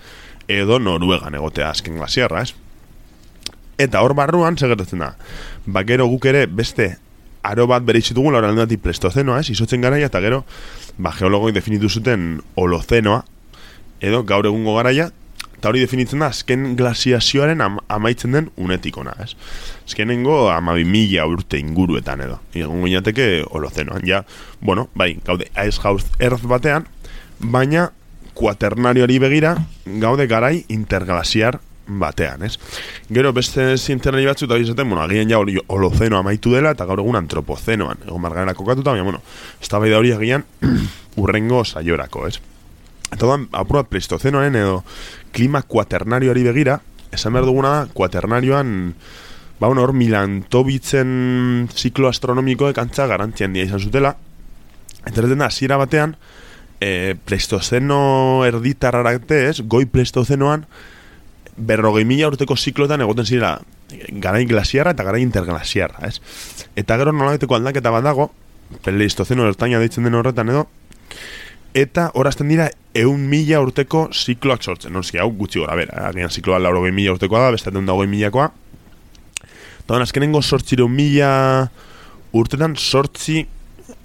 A: edo Noruegan egotea azken glasiarra, ez. Eta hor barruan, segertatzen da, ba, gero guk ere beste aro bat bere izitugun, laura aldeatik Pleistozenoa, ez, izotzen garaia, eta gero, ba, geologoi definitu zuten Holozenoa, edo gaur egungo garaia, eta hori definitzen da, azken glaziazioaren am, amaitzen den unetikona, ez. Azkenengo amabi mila urte inguruetan edo. Egon guinateke Holozenoan, ja, bueno, bai, gaude Ice House Earth batean, baina kuaternarioari begira, gaude garai interglaziar batean, ez? Gero beste zientzialari batzu eta izaten, bueno, agian ja hori Holozeno amaitu dela eta gaur egun antropozenoan, egon margarena kokatuta, baina, bueno, eztabaida hori agian urrengo saiorako, ez? Eta doan, apur bat Pleistozenoaren edo klima kuaternarioari begira, esan behar duguna da, kuaternarioan, ba, bueno, hor Milantovitzen ziklo astronomikoek antza garantzia handia izan zutela, eta erreten da, hasiera batean, e, Pleistozeno erditarrarate, ez, goi Pleistozenoan, berrogei mila urteko ziklotan egoten zirela garai glaziarra eta garai interglaziarra, ez? Eta gero nolabaiteko aldaketa bat dago, Pleistozeno ertaina deitzen den horretan edo, eta horazten dira eun mila urteko zikloak sortzen. Norski, hau gutxi gora bera, agian zikloa laurogei mila urtekoa da, bestaten da hogei milakoa. Eta azkenengo sortzireun mila urtetan sortzi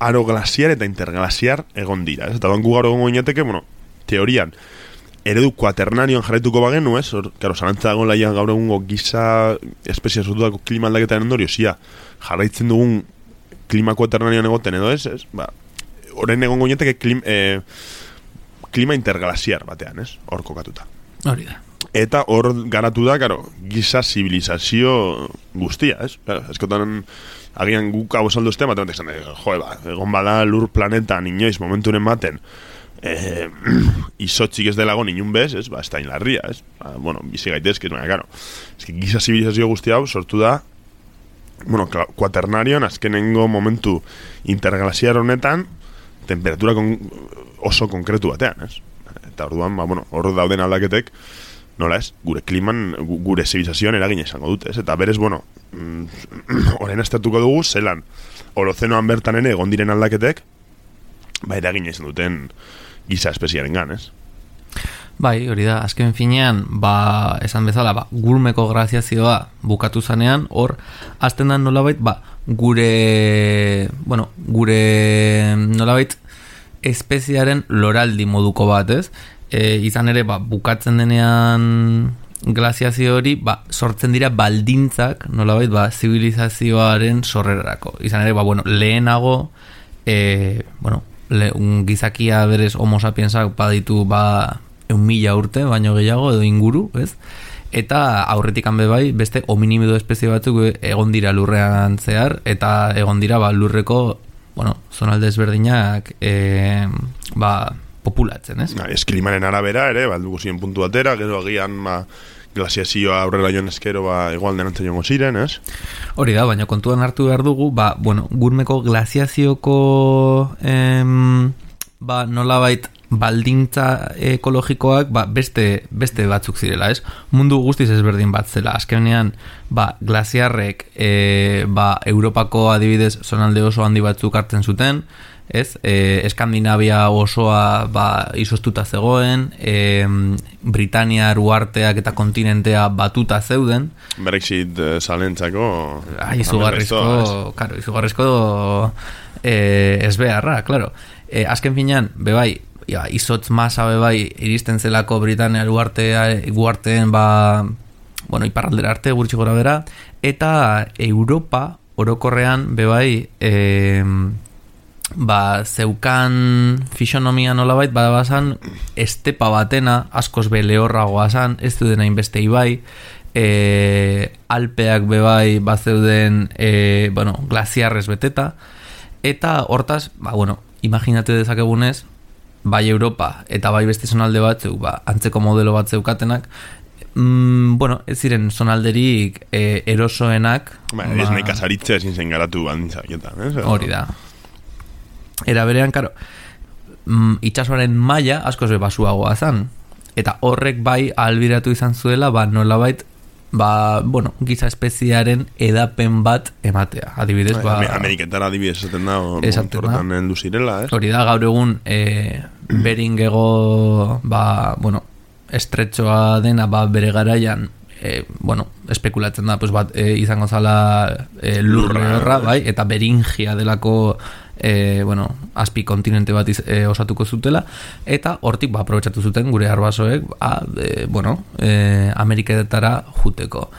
A: aro glaziar eta interglaziar egon dira, ez? Eta doan gu gaur egon goinateke, bueno, teorian, eredu kuaternarioan jarraituko bagenu, ez? Hor, karo, zarantza dagoen laia gaur egungo giza espezia sortutako klima aldaketaren ondorio, zia, jarraitzen dugun klima kuaternarioan egoten edo ez, ez? Ba, horren egon goineteke klim, eh, klima interglaziar batean, ez? Hor kokatuta.
B: Hori da.
A: Eta hor garatu da, karo, giza zibilizazio guztia, ez? Claro, eskotan agian guk hau esaldu este, batean tekzan, joe, ba, egon bada lur planetan inoiz momenturen baten, Eh, izotzik ez delago ninun bez, ez? Ba, ez da inlarria, ez? Ba, bueno, bizi gaitezke, baina, karo, ez que giza zibilizazio guzti hau sortu da, bueno, kuaternarion azkenengo momentu interglaziar honetan temperatura kon, oso konkretu batean, ez? Eta orduan, ba, bueno, hor dauden aldaketek, nola ez, gure kliman, gure zibilizazioan eragina izango dute, ez? Eta berez, bueno, horren estatuko dugu, zelan, Holozenoan bertan ere egon diren aldaketek, ba, eragina izan duten giza espeziaren gan, ez?
B: Bai, hori da, azken finean, ba, esan bezala, ba, gurmeko graziazioa bukatu zanean, hor, azten da nolabait, ba, gure, bueno, gure nolabait espeziaren loraldi moduko bat, ez? E, izan ere, ba, bukatzen denean glaziazio hori, ba, sortzen dira baldintzak, nolabait, ba, zibilizazioaren sorrerarako. Izan ere, ba, bueno, lehenago, e, bueno, Le, un gizakia berez homo sapiensak baditu ba eun mila urte baino gehiago edo inguru, ez? Eta aurretik hanbe bai beste hominimido espezie batzuk egon dira lurrean zehar eta egon dira ba lurreko, bueno, zonalde ezberdinak e, ba populatzen, ez?
A: Na, ez klimaren arabera ere, baldugu ziren puntu atera, gero agian ba glaziazioa aurrera joan eskero ba igual denantzen jongo ziren, ez?
B: Hori da, baina kontuan hartu behar dugu, ba, bueno, gurmeko glaziazioko em, ba, nolabait baldintza ekologikoak ba, beste, beste batzuk zirela, ez? Mundu guztiz ezberdin bat zela. Azkenean, ba, glaziarrek e, ba, Europako adibidez zonalde oso handi batzuk hartzen zuten, ez? E, Eskandinavia osoa ba, izostuta zegoen, e, Britania uharteak eta kontinentea batuta zeuden.
A: Brexit eh, salentzako
B: ah, izugarrizko, claro, izugarrizko eh, ez beharra, claro. E, azken finean, bebai, ja, izotz masa bebai iristen zelako Britania uharteen ba, bueno, iparraldera arte gurtsi gora bera, eta Europa orokorrean bebai eh, ba, zeukan fisonomia nolabait badabazan estepa batena askoz be lehorragoa zan, ez duden hainbeste ibai, e, Alpeak bebai bazeuden e, bueno, glaziarrez beteta, eta hortaz, ba, bueno, imaginate dezakegunez, bai Europa eta bai beste zonalde batzuk, ba, antzeko modelo bat zeukatenak, mm, bueno, ez ziren zonalderik e, erosoenak,
A: ba, ez nahi kasaritzea ezin zen garatu bandintzaketan, ez?
B: Hori da. Era berean, karo, mm, itxasoaren maila askoz be basuagoa zan. Eta horrek bai ahalbiratu izan zuela, ba, nolabait, ba, bueno, giza espeziaren edapen bat ematea. Adibidez, ba...
A: Ameriketan adibidez esaten da, horretan heldu zirela, ez?
B: Hori da, gaur egun, e, beringego, ba, bueno, estretxoa dena, ba, bere garaian, e, bueno, espekulatzen da, pues bat, e, izango zala e, lurre horra, bai, eta Beringia delako e, bueno, azpi kontinente bat iz, e, osatuko zutela, eta hortik ba, aprobetsatu zuten gure arbasoek, ba, e, bueno, e, Ameriketara juteko.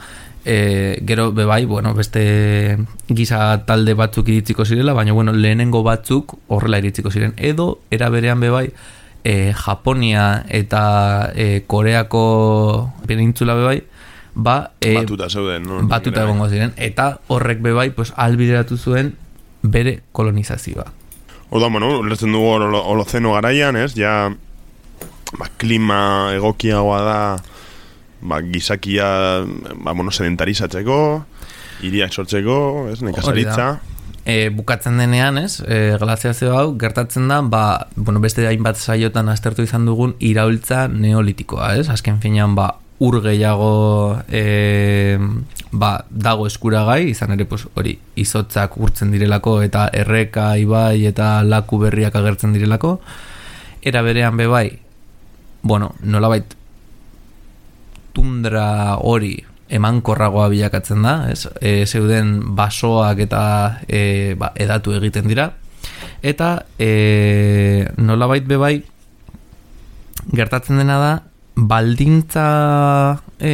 B: E, gero bebai, bueno, beste giza talde batzuk iritziko zirela, baina bueno, lehenengo batzuk horrela iritziko ziren, edo era berean bebai e, Japonia eta e, Koreako penintzula bebai ba, e,
A: batuta zeuden, no?
B: Batuta egongo ziren, eta horrek bebai pues, albideratu zuen bere kolonizazioa.
A: Orduan, bueno, ulertzen dugu holozeno garaian, ez? Ja, ba, klima egokiagoa da, ba, gizakia, ba, bueno, sedentarizatzeko, hiriak sortzeko, ez? Nekazaritza.
B: E, bukatzen denean, ez? E, glaziazio hau gertatzen da, ba, bueno, beste hainbat saiotan aztertu izan dugun iraultza neolitikoa, ez? Azken finean, ba, ur gehiago e, ba, dago eskuragai, izan ere pues, hori izotzak urtzen direlako eta erreka, ibai eta laku berriak agertzen direlako. Era berean bebai, bueno, nolabait tundra hori emankorragoa bilakatzen da, ez? E, zeuden basoak eta e, ba, edatu egiten dira. Eta e, nolabait bebai gertatzen dena da baldintza e,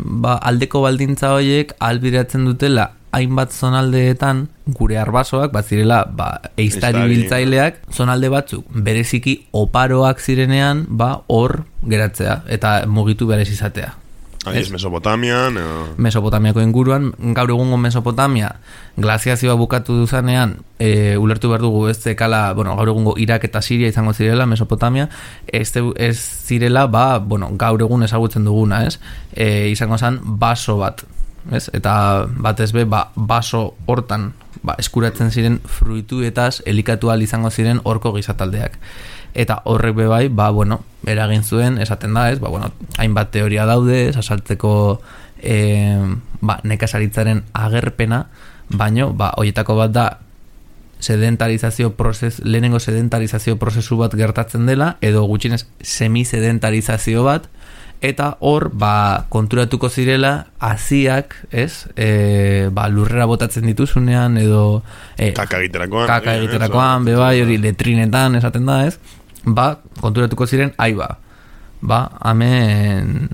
B: ba, aldeko baldintza horiek albiratzen dutela hainbat zonaldeetan gure arbasoak bat zirela ba, eiztari biltzaileak zonalde batzuk bereziki oparoak zirenean ba, hor geratzea eta mugitu berez izatea.
A: Aiz, Mesopotamian edo...
B: Mesopotamiako inguruan, gaur egungo Mesopotamia glaziazioa bukatu duzanean e, ulertu behar dugu ez zekala, bueno, gaur egungo Irak eta Siria izango zirela Mesopotamia, ez, ez zirela ba, bueno, gaur egun ezagutzen duguna, ez? E, izango zen baso bat, ez? Eta batez be, ba, baso hortan ba, eskuratzen ziren fruituetaz elikatu ahal izango ziren horko gizataldeak. Eta horrek bebai, ba, bueno, eragin zuen, esaten da, ez, ba, bueno, hainbat teoria daude, sasaltzeko e, ba, nekazaritzaren agerpena, baino, ba, horietako bat da sedentarizazio prozes, lehenengo sedentarizazio prozesu bat gertatzen dela, edo gutxinez semisedentarizazio bat, eta hor, ba, konturatuko zirela haziak, ez, e, ba, lurrera botatzen dituzunean, edo e,
A: kaka egiterakoan,
B: kaka egiterakoan, bebai, hori letrinetan, esaten da, ez, ba, konturatuko ziren, aiba, ba, hemen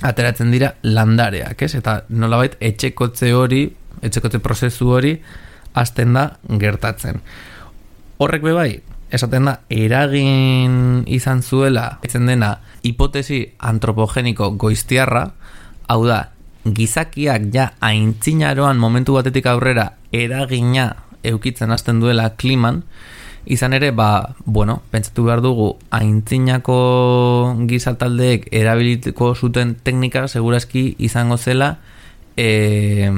B: ateratzen dira landareak, ez? Eta nolabait etxekotze hori, etxekotze prozesu hori hasten da gertatzen. Horrek bebai, esaten da, eragin izan zuela, etzen dena, hipotesi antropogeniko goiztiarra, hau da, gizakiak ja aintzinaroan momentu batetik aurrera eragina eukitzen hasten duela kliman, izan ere, ba, bueno, pentsatu behar dugu, aintzinako gizataldeek erabilitiko zuten teknika, segurazki izango zela, e,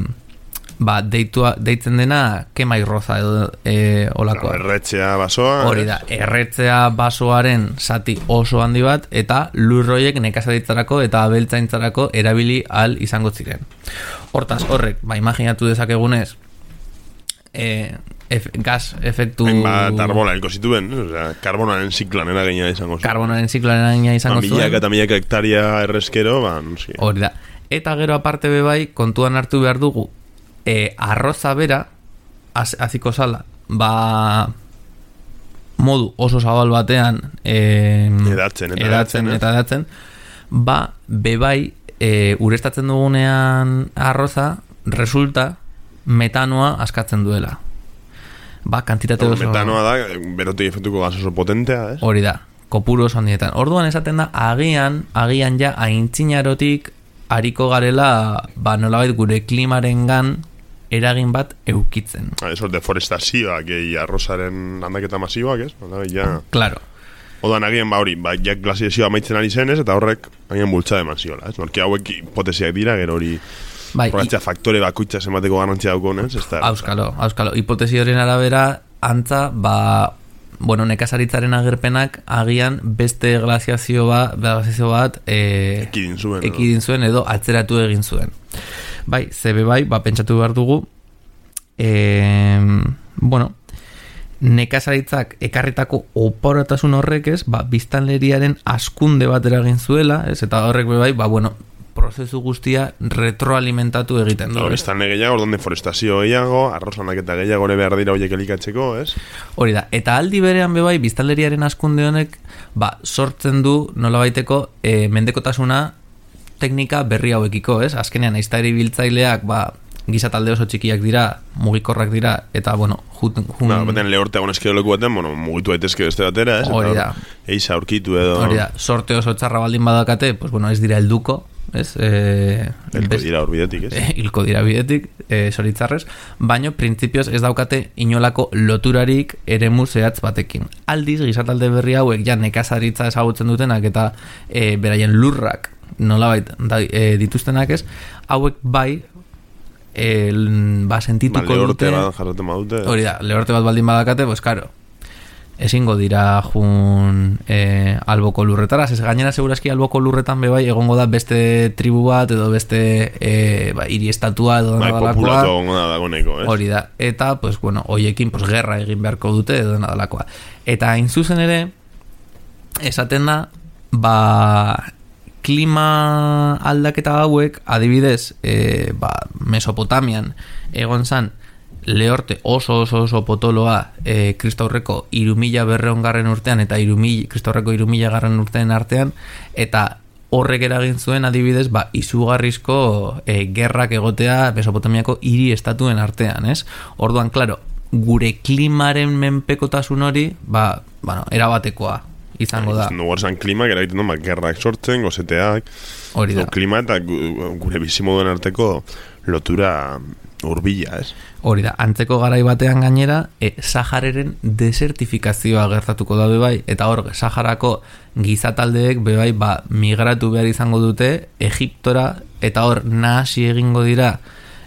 B: ba, deitua, deitzen dena kemairroza edo e, olakoa.
A: Erretzea basoa.
B: Hori da, erretzea basoaren zati oso handi bat, eta lurroiek nekazaritzarako eta abeltzaintzarako erabili ahal izango ziren. Hortaz, horrek, ba, imaginatu dezakegunez, e, Ef, gas efektu...
A: Hainbat arbola elko zituen, o sea, karbonaren ziklan eragina izango zuen.
B: Karbonaren ziklan eragina izango zuen.
A: Milaka eta milaka hektaria errezkero, ba, no sé.
B: Hori da. Eta gero aparte bebai, kontuan hartu behar dugu, e, arroza bera, az, aziko sala, ba, modu oso zabal batean, e,
A: edatzen, eta
B: edatzen, eta edatzen, ba, bebai, e, urestatzen dugunean arroza, resulta, metanoa askatzen duela. Ba, kantitate oso...
A: Metanoa da, berotik efektuko gas oso potentea, ez?
B: Hori da, kopuru oso handietan. Orduan esaten da, agian, agian ja, aintzinarotik hariko garela, ba, nolabait gure klimarengan eragin bat eukitzen.
A: Ah, eso, deforestazioak, gehi arrozaren landaketa masiboak, ez? Nolabait, ja...
B: Claro.
A: Odan agian, ba, hori, ba, jak glaziazioa amaitzen ari zen, ez? Eta horrek, agian bultza eman ziola, ez? Norki hauek hipotesiak dira, gero hori...
B: Bai,
A: Horretzea faktore bakuitza zenbateko garantzia daukonez, ez da?
B: Auskalo, auskalo. Hipotesi horien arabera, antza, ba, bueno, nekazaritzaren agerpenak agian beste glaziazio bat, glaziazio bat e,
A: ekidin zuen,
B: ekidin zuen edo atzeratu egin zuen. Bai, zebe bai, ba, pentsatu behar dugu, e, bueno, nekazaritzak ekarritako oporatasun horrek ez, ba, biztanleriaren askunde bat eragin zuela, ez, eta horrek bai, ba, bueno, prozesu guztia retroalimentatu egiten du.
A: No, biztanle gehiago, orduan deforestazio gehiago, arrozanak eta gehiago ere behar dira horiek elikatzeko, ez?
B: Hori da, eta aldi berean bebai, biztanleriaren askunde honek, ba, sortzen du nolabaiteko e, mendekotasuna teknika berri hauekiko, ez? Azkenean, aiztari biltzaileak, ba, gizatalde oso txikiak dira, mugikorrak dira, eta, bueno, jut... jun...
A: Ba, baten lehorte agon eskero leku baten, bueno, mugitu daitezke beste batera, ez?
B: Hori da.
A: Eiza aurkitu edo...
B: Hori da, sorte oso txarra baldin badakate, pues, bueno, ez dira helduko, ez? Eh,
A: Hilko dira hor bidetik, ez?
B: Eh, hilko dira bidetik, eh, zoritzarrez, baino, printzipioz ez daukate inolako loturarik eremu zehatz batekin. Aldiz, gizatalde berri hauek, ja, nekazaritza ezagutzen dutenak, eta eh, beraien lurrak, nolabait, da, eh, dituztenak ez, hauek bai, El, ba, sentituko
A: ba,
B: dute
A: badute.
B: Hori da, lehorte bat baldin badakate, pues karo, ezingo dira jun eh, alboko lurretara, ez gainera segurazki alboko lurretan bebai egongo da beste tribu bat edo beste eh, ba, hiri estatua edo
A: bai, populatu egongo da dagoneko, ez?
B: Hori da, eta, pues, bueno, hoiekin pues, gerra egin beharko dute edo nadalakoa. Eta hain zuzen ere, esaten da, ba... klima aldaketa hauek, adibidez, e, ba, Mesopotamian egon zan lehorte oso oso oso potoloa e, kristaurreko irumila berreon garren urtean eta irumila, kristaurreko irumila garren urtean artean, eta horrek eragin zuen adibidez, ba, izugarrizko e, gerrak egotea Mesopotamiako hiri estatuen artean, ez? Orduan, klaro, gure klimaren menpekotasun hori, ba, bueno, erabatekoa izango da.
A: Nugu erzan klima, gara egiten duen, gerrak sortzen, gozeteak,
B: hori da.
A: Klima eta gure bizimoduen arteko lotura urbila, ez?
B: Hori da, antzeko garai batean gainera, e, Sahararen desertifikazioa gertatuko da bebai, eta hor, Saharako gizataldeek bebai, ba, migratu behar izango dute Egiptora, eta hor, nahasi egingo dira,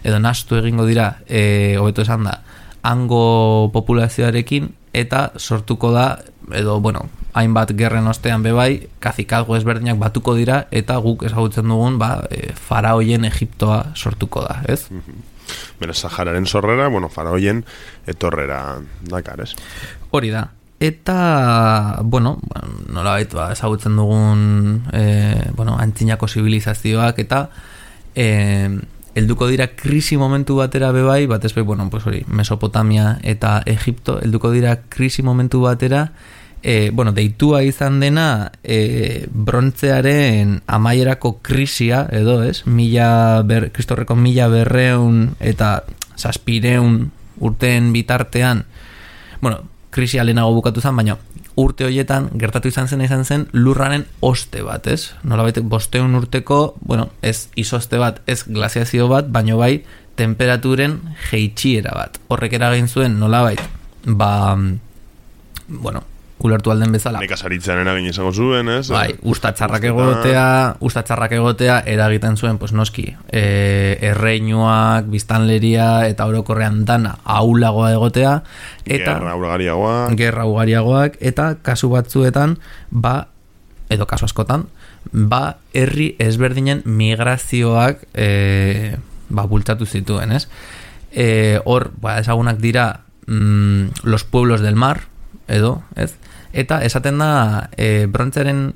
B: edo nahastu egingo dira, e, hobeto esan da, hango populazioarekin, eta sortuko da, edo, bueno, hainbat gerren ostean bebai, kazikazgo ezberdinak batuko dira, eta guk ezagutzen dugun, ba, e, faraoien Egiptoa sortuko da, ez?
A: Mm-hmm. Bera, Sahararen sorrera, bueno, faraoien etorrera dakar, ez? Hori
B: da. Eta, bueno, nola baitu, ba, ezagutzen dugun, e, bueno, antzinako zibilizazioak, eta e, helduko dira krisi momentu batera bebai, batez be, bueno, pues hori, Mesopotamia eta Egipto, helduko dira krisi momentu batera, E, bueno, deitua izan dena e, brontzearen amaierako krisia edo, ez? Mila ber, kristorreko mila berreun eta zazpireun urteen bitartean, bueno, krisia lehenago bukatu zen, baina urte horietan gertatu izan zen izan zen lurraren oste bat, ez? Nolabait bosteun urteko, bueno, ez izoste bat, ez glaziazio bat, baino bai temperaturen jeitxiera bat. Horrek eragin zuen nolabait, ba, bueno, ulertu alden bezala.
A: Nekazaritzan eragin izango zuen, ez?
B: Bai, ustatxarrak egotea, ustatxarrak egotea eragiten zuen, pues noski, e, erreinuak, biztanleria eta orokorrean dana ahulagoa egotea, eta
A: gerra ugariagoak,
B: gerra ugariagoak, eta kasu batzuetan, ba, edo kasu askotan, ba, herri ezberdinen migrazioak e, ba, bultzatu zituen, ez? E, hor, ba, ezagunak dira mm, los pueblos del mar, edo, ez? Eta esaten da e, brontzaren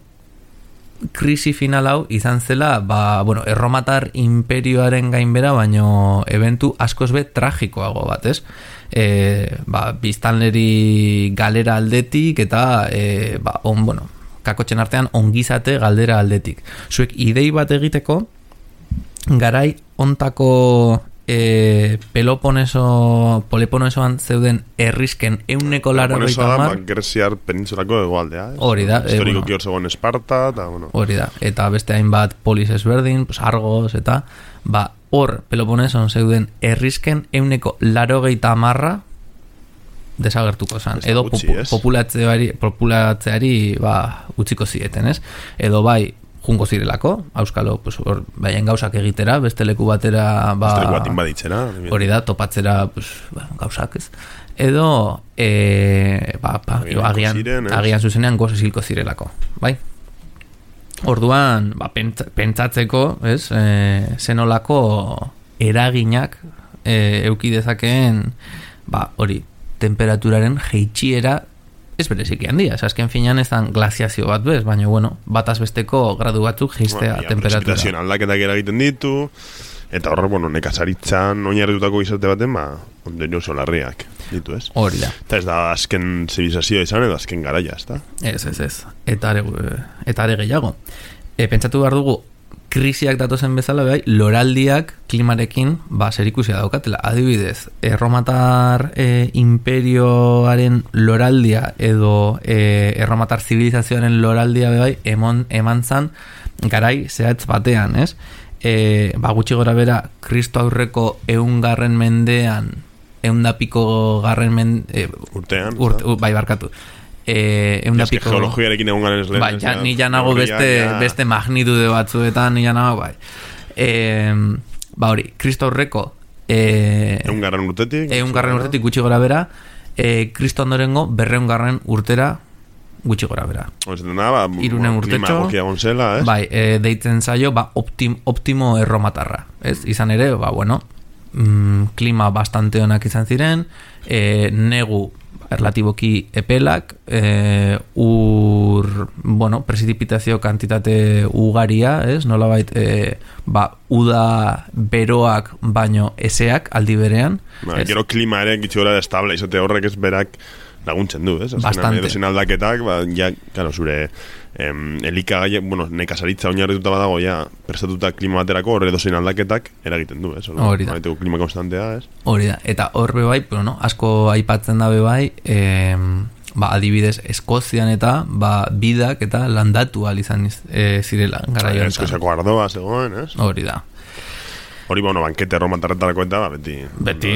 B: krisi final hau izan zela, ba, bueno, erromatar imperioaren gainbera, baino eventu askoz be tragikoago bat, ez? E, ba, biztanleri galera aldetik eta e, ba, on, bueno, kakotxen artean ongizate galdera aldetik. Zuek idei bat egiteko garai ontako E, Peloponeso Peloponesoan zeuden errisken euneko laro
A: Peloponeso da, ba, Greziar penintsulako egoaldea, eh?
B: Hori da,
A: historiko
B: e, bueno,
A: kior zegoen Esparta eta, bueno.
B: Hori da, eta beste hainbat polis ezberdin, pues Argos eta ba, hor Peloponeson zeuden errisken euneko laro geita amarra desagertuko zan, edo
A: gutxi,
B: popu, populatzeari, populatzeari ba, utziko zieten, ez? Edo bai jungo zirelako, auskalo, pues, or, baien gauzak egitera, beste leku batera, ba,
A: beste leku bat inbaditzera,
B: hori da, topatzera, pues, ba, gauzak, ez? Edo, e, ba, ba, agian, ziren, agian zuzenean goz esilko zirelako, bai? Orduan, ba, pentsatzeko, ez, e, zenolako eraginak e, euki dezakeen, ba, hori, temperaturaren jeitxiera ez bereziki handia, azken finean ez dan glaziazio bat bez, baina bueno, bataz besteko gradu batzuk geistea
A: bueno,
B: temperatura.
A: Prezipitazioan aldaketak eragiten ditu, eta horrek, bueno, nekazaritzan oinarritutako izate baten, ba, ondorio solarriak ditu, ez?
B: Hori da.
A: Eta ez da azken zibilizazioa izan, edo azken garaia, ez da?
B: Ez, ez, ez. Eta are, eta are gehiago. E, pentsatu behar dugu, krisiak datozen bezala, bai, loraldiak klimarekin, ba, zerikusia daukatela. Adibidez, erromatar e, imperioaren loraldia edo e, erromatar zibilizazioaren loraldia, bai, emon, eman zan garai zehatz batean, ez? E, ba, gutxi gora bera, Kristo aurreko eungarren mendean, eundapiko garren mende... E,
A: urtean.
B: Urt, ur, bai, barkatu. E, eundapiko...
A: geologiarekin egun garen ez lehen.
B: Bai, ja, ni janago beste, ja. beste magnitude batzuetan, ni janago, bai. E, ba hori, Kristo aurreko... E,
A: eungarren urtetik.
B: Eungarren urtetik gutxi gora bera, e, Kristo ondorengo berreungarren urtera gutxi gora bera.
A: Da, ba,
B: Irunen urtetxo,
A: gonzela,
B: bai, e, deitzen zaio, ba, optim, optimo erromatarra, ez? Izan ere, ba, bueno, mm, klima bastante onak izan ziren, e, negu relatiboki epelak, e, ur, bueno, prezipitazio kantitate ugaria, ez? Nolabait, e, ba, uda beroak baino eseak aldi berean.
A: Ba, gero klima ere gitxi gora estable, izate horrek ez berak laguntzen du, ez?
B: Bastante.
A: Edozen aldaketak, ba, ja, claro, zure em, elikagai, bueno, nekazaritza oinarrituta badago, ja, prestatuta klima baterako horre edozen aldaketak eragiten du, ez?
B: Hori da.
A: Baiteko klima konstantea, ez?
B: Hori da. Eta hor bebai, bueno, asko aipatzen da bebai, em, ba, adibidez, Eskozian eta, ba, bidak eta landatu al izan e, zirela, gara joan.
A: Eskoziako ardoa zegoen, ez?
B: Hori da.
A: Hori, bueno, bankete erromatarretarako eta, ba, beti...
B: Beti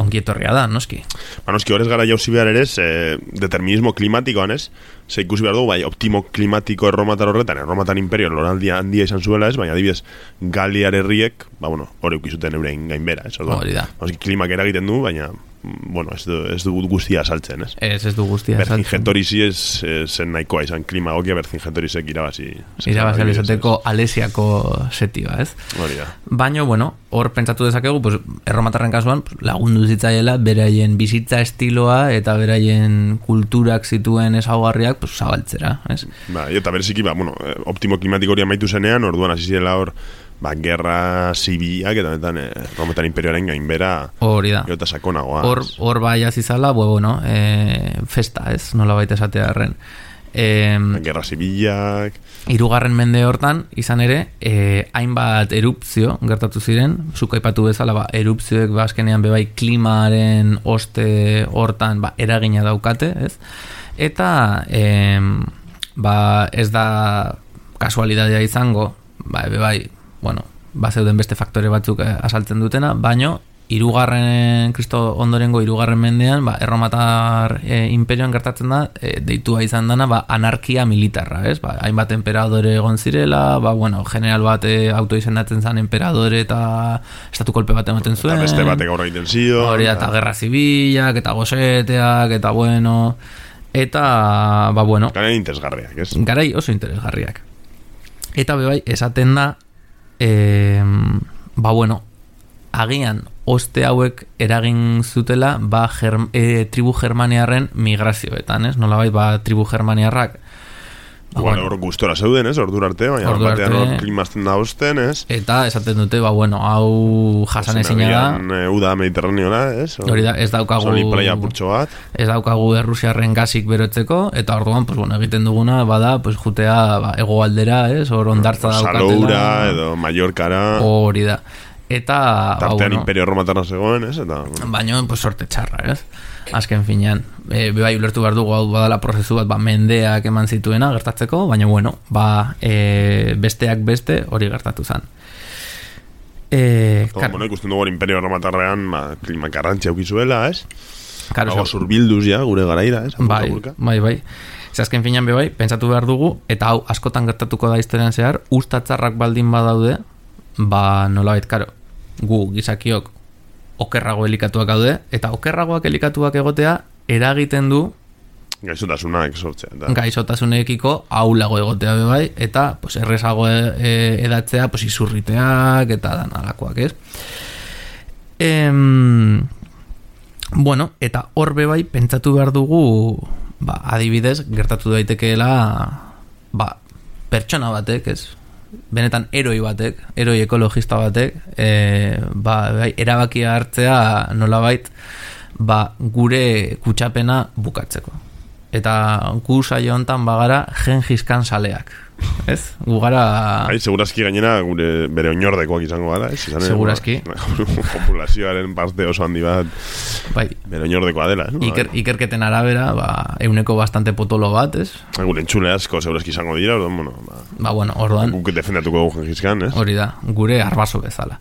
B: ongietorria da, noski.
A: Ba, noski, horrez gara jauzi behar ere, e, determinismo klimatikoan, ez? Ze ikusi behar dugu, bai, optimo klimatiko erromatar horretan, erromatar imperio loraldia handia izan zuela, ez? Baina, adibidez, Galiar herriek, ba, bueno, hori ukizuten eurein gainbera, ez?
B: Hori da.
A: Noski, klimak eragiten du, baina, bueno, ez du, ez du guztia saltzen, ez?
B: Ez, ez du guztia saltzen.
A: Bercingetorisi ez, ez zen nahikoa izan klima gokia, Bercingetorisiek irabazi.
B: Irabazi alizateko alesiako setioa, ez?
A: Hori da.
B: Baina, bueno, hor pentsatu dezakegu, pues, erromatarren kasuan pues, lagundu zitzaiela beraien bizitza estiloa eta beraien kulturak zituen ezaugarriak pues, zabaltzera, ez?
A: Ba, eta bereziki, ba, bueno, optimo klimatiko hori amaitu zenean, orduan hasi zirela hor, ba, gerra zibilak eta benetan eh, Rometan imperioaren gainbera
B: hori da.
A: Gero eta sakonagoa.
B: Hor, hor bai azizala, bueno, eh, festa, ez? Nola baita esatearen. Eh,
A: gerra zibilak...
B: Hirugarren mende hortan, izan ere, eh, hainbat erupzio gertatu ziren, zuk aipatu bezala, ba, erupzioek ba, azkenean bebai klimaren oste hortan ba, eragina daukate, ez? Eta eh, ba, ez da kasualidadea izango, ba, bebai, bueno, ba, zeuden beste faktore batzuk eh, asaltzen dutena, baino, hirugarren Kristo ondorengo hirugarren mendean, ba, erromatar e, imperioan gertatzen da, e, deitua izan dana, ba, anarkia militarra, ez? Ba, hainbat emperadore egon zirela, ba, bueno, general bat e, auto izendatzen zan emperadore eta estatu kolpe bat ematen zuen.
A: Eta beste batek aurra egiten zio.
B: Hori, eta gerra zibilak, eta goseteak, eta bueno, eta, ba, bueno.
A: Garai interesgarriak, ez?
B: Garai oso interesgarriak. Eta bebai, esaten da, e, ba, bueno, agian oste hauek eragin zutela ba, germ, e, tribu germaniarren migrazioetan, ez? Nolabait, ba, tribu germaniarrak ba,
A: Igual,
B: bueno,
A: hor gustora zeuden, ez? Ordur arte, baina
B: ordu
A: batean
B: arte,
A: hor klimazten da osten, ez?
B: Eta esaten dute, ba, bueno, hau jasan ezina da.
A: E, uda mediterraneola, ez?
B: Hori da, ez daukagu...
A: Soli playa purtxo bat.
B: Ez daukagu errusiarren gazik berotzeko, eta orduan, pues, bueno, egiten duguna, bada, pues, jutea ba, egoaldera, ez? Hor ondartza daukatela.
A: Saloura, edo Mallorcara.
B: Hori da. Eta...
A: Tartean
B: ba, bueno,
A: imperio romatarra zegoen, ez? Eta, bueno.
B: Baina, pues, sorte txarra, ez? Azken finean, e, bebai ulertu behar dugu hau badala prozesu bat, ba, mendeak eman zituena gertatzeko, baina, bueno, ba, e, besteak beste hori gertatu zen. E,
A: Todo, bueno, ikusten dugu imperio romatarrean, ba, klima garrantzia aukizuela, ez?
B: Karo,
A: Hago zurbilduz ja, gure garaira, ez?
B: Bai, bai, bai. Azken finean bebai, pentsatu behar dugu, eta hau askotan gertatuko da historian zehar, ustatzarrak baldin badaude, ba, nolabait, karo, gu gizakiok okerrago elikatuak gaude, eta okerragoak elikatuak egotea eragiten du
A: gaixotasunak sortzea. Eta...
B: gaixotasunekiko aulago egotea bebai, eta pues, errezago e, e, edatzea pues, izurriteak eta danalakoak, ez? Em, bueno, eta hor bebai pentsatu behar dugu ba, adibidez, gertatu daitekeela, ba, pertsona batek, ez? Benetan eroi batek, eroi ekologista batek, e, ba, bai, erabakia hartzea nolabait, ba, gure kutsapena bukatzeko. Eta gu saio hontan bagara Gengis-Khan saleak. Ez? Gu gara...
A: Bai, segurazki gainera gure bere oinordekoak izango gara, ez? Izan,
B: segurazki.
A: Populazioaren parte oso handi bat bai. Bere oinordekoa dela, ez?
B: Iker, ikerketen arabera, ba, euneko bastante potolo bat, ez?
A: Gure entzule asko segurazki izango dira, orduan, bueno... Ba,
B: ba bueno, orduan...
A: Guk defendatuko dugu Gengis-Khan, ez?
B: Hori da, gure arbaso bezala.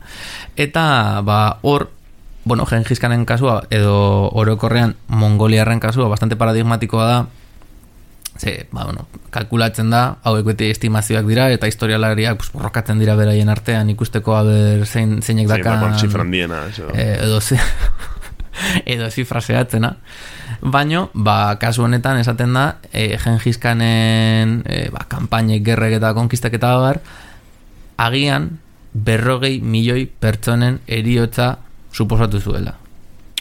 B: Eta, ba, hor... Bueno, Gengis-Khanen kasua edo orokorrean mongoliarren kasua bastante paradigmatikoa da. Ze, ba, bueno, kalkulatzen da, hauek beti estimazioak dira eta historialariak pues, borrokatzen dira beraien artean ikusteko haber zein, zeinek dakan
A: zifrandiena
B: eh, edo zi, edo zifraseatzena. Baino, ba, kasu honetan esaten da eh, Gengis-Khanen eh, ba, kanpainek, gerrek eta konkistak eta bar, agian berrogei milioi pertsonen heriotza suposatu zuela.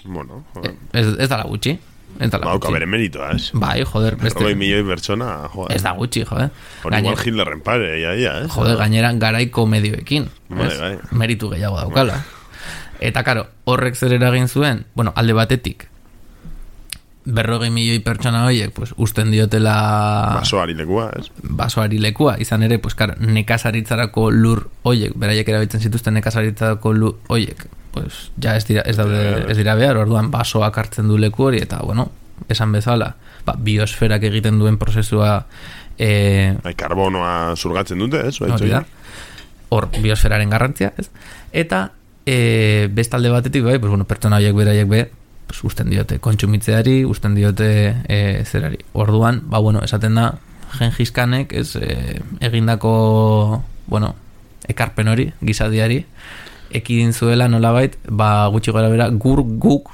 A: Bueno,
B: joder. Ez, ez dala gutxi. Ez dala
A: Bauka
B: gutxi.
A: bere meritoa, ez?
B: Bai, joder.
A: Berrogei milioi pertsona, joder.
B: Ez da gutxi, joder.
A: Hori igual Hitlerren pare, ia, ia, ez?
B: Joder, gainera garaiko medioekin.
A: Bai, bai.
B: Meritu gehiago daukala. Eta, karo, horrek zer eragin zuen, bueno, alde batetik, berrogei milioi pertsona horiek, pues, usten diotela...
A: Basoari lekua, ez?
B: Basoari lekua, izan ere, pues, karo, nekazaritzarako lur horiek, beraiek erabiltzen zituzten nekazaritzarako lur horiek, pues, ja ez dira, ez daude, ez dira behar, orduan basoak hartzen du leku hori, eta, bueno, esan bezala, ba, biosferak egiten duen prozesua... Eh,
A: Bai, karbonoa zurgatzen dute, ez?
B: Hori da, hor biosferaren garrantzia, ez? Eta, eh, bestalde batetik, bai, pues, bueno, pertsona horiek beraiek be, pues, usten diote kontsumitzeari, usten diote e, zerari. Orduan, ba, bueno, esaten da Gengis-Khanek ez e, egindako, bueno, ekarpen hori, gizadiari, ekidin zuela nolabait, ba, gutxi gara bera, gur guk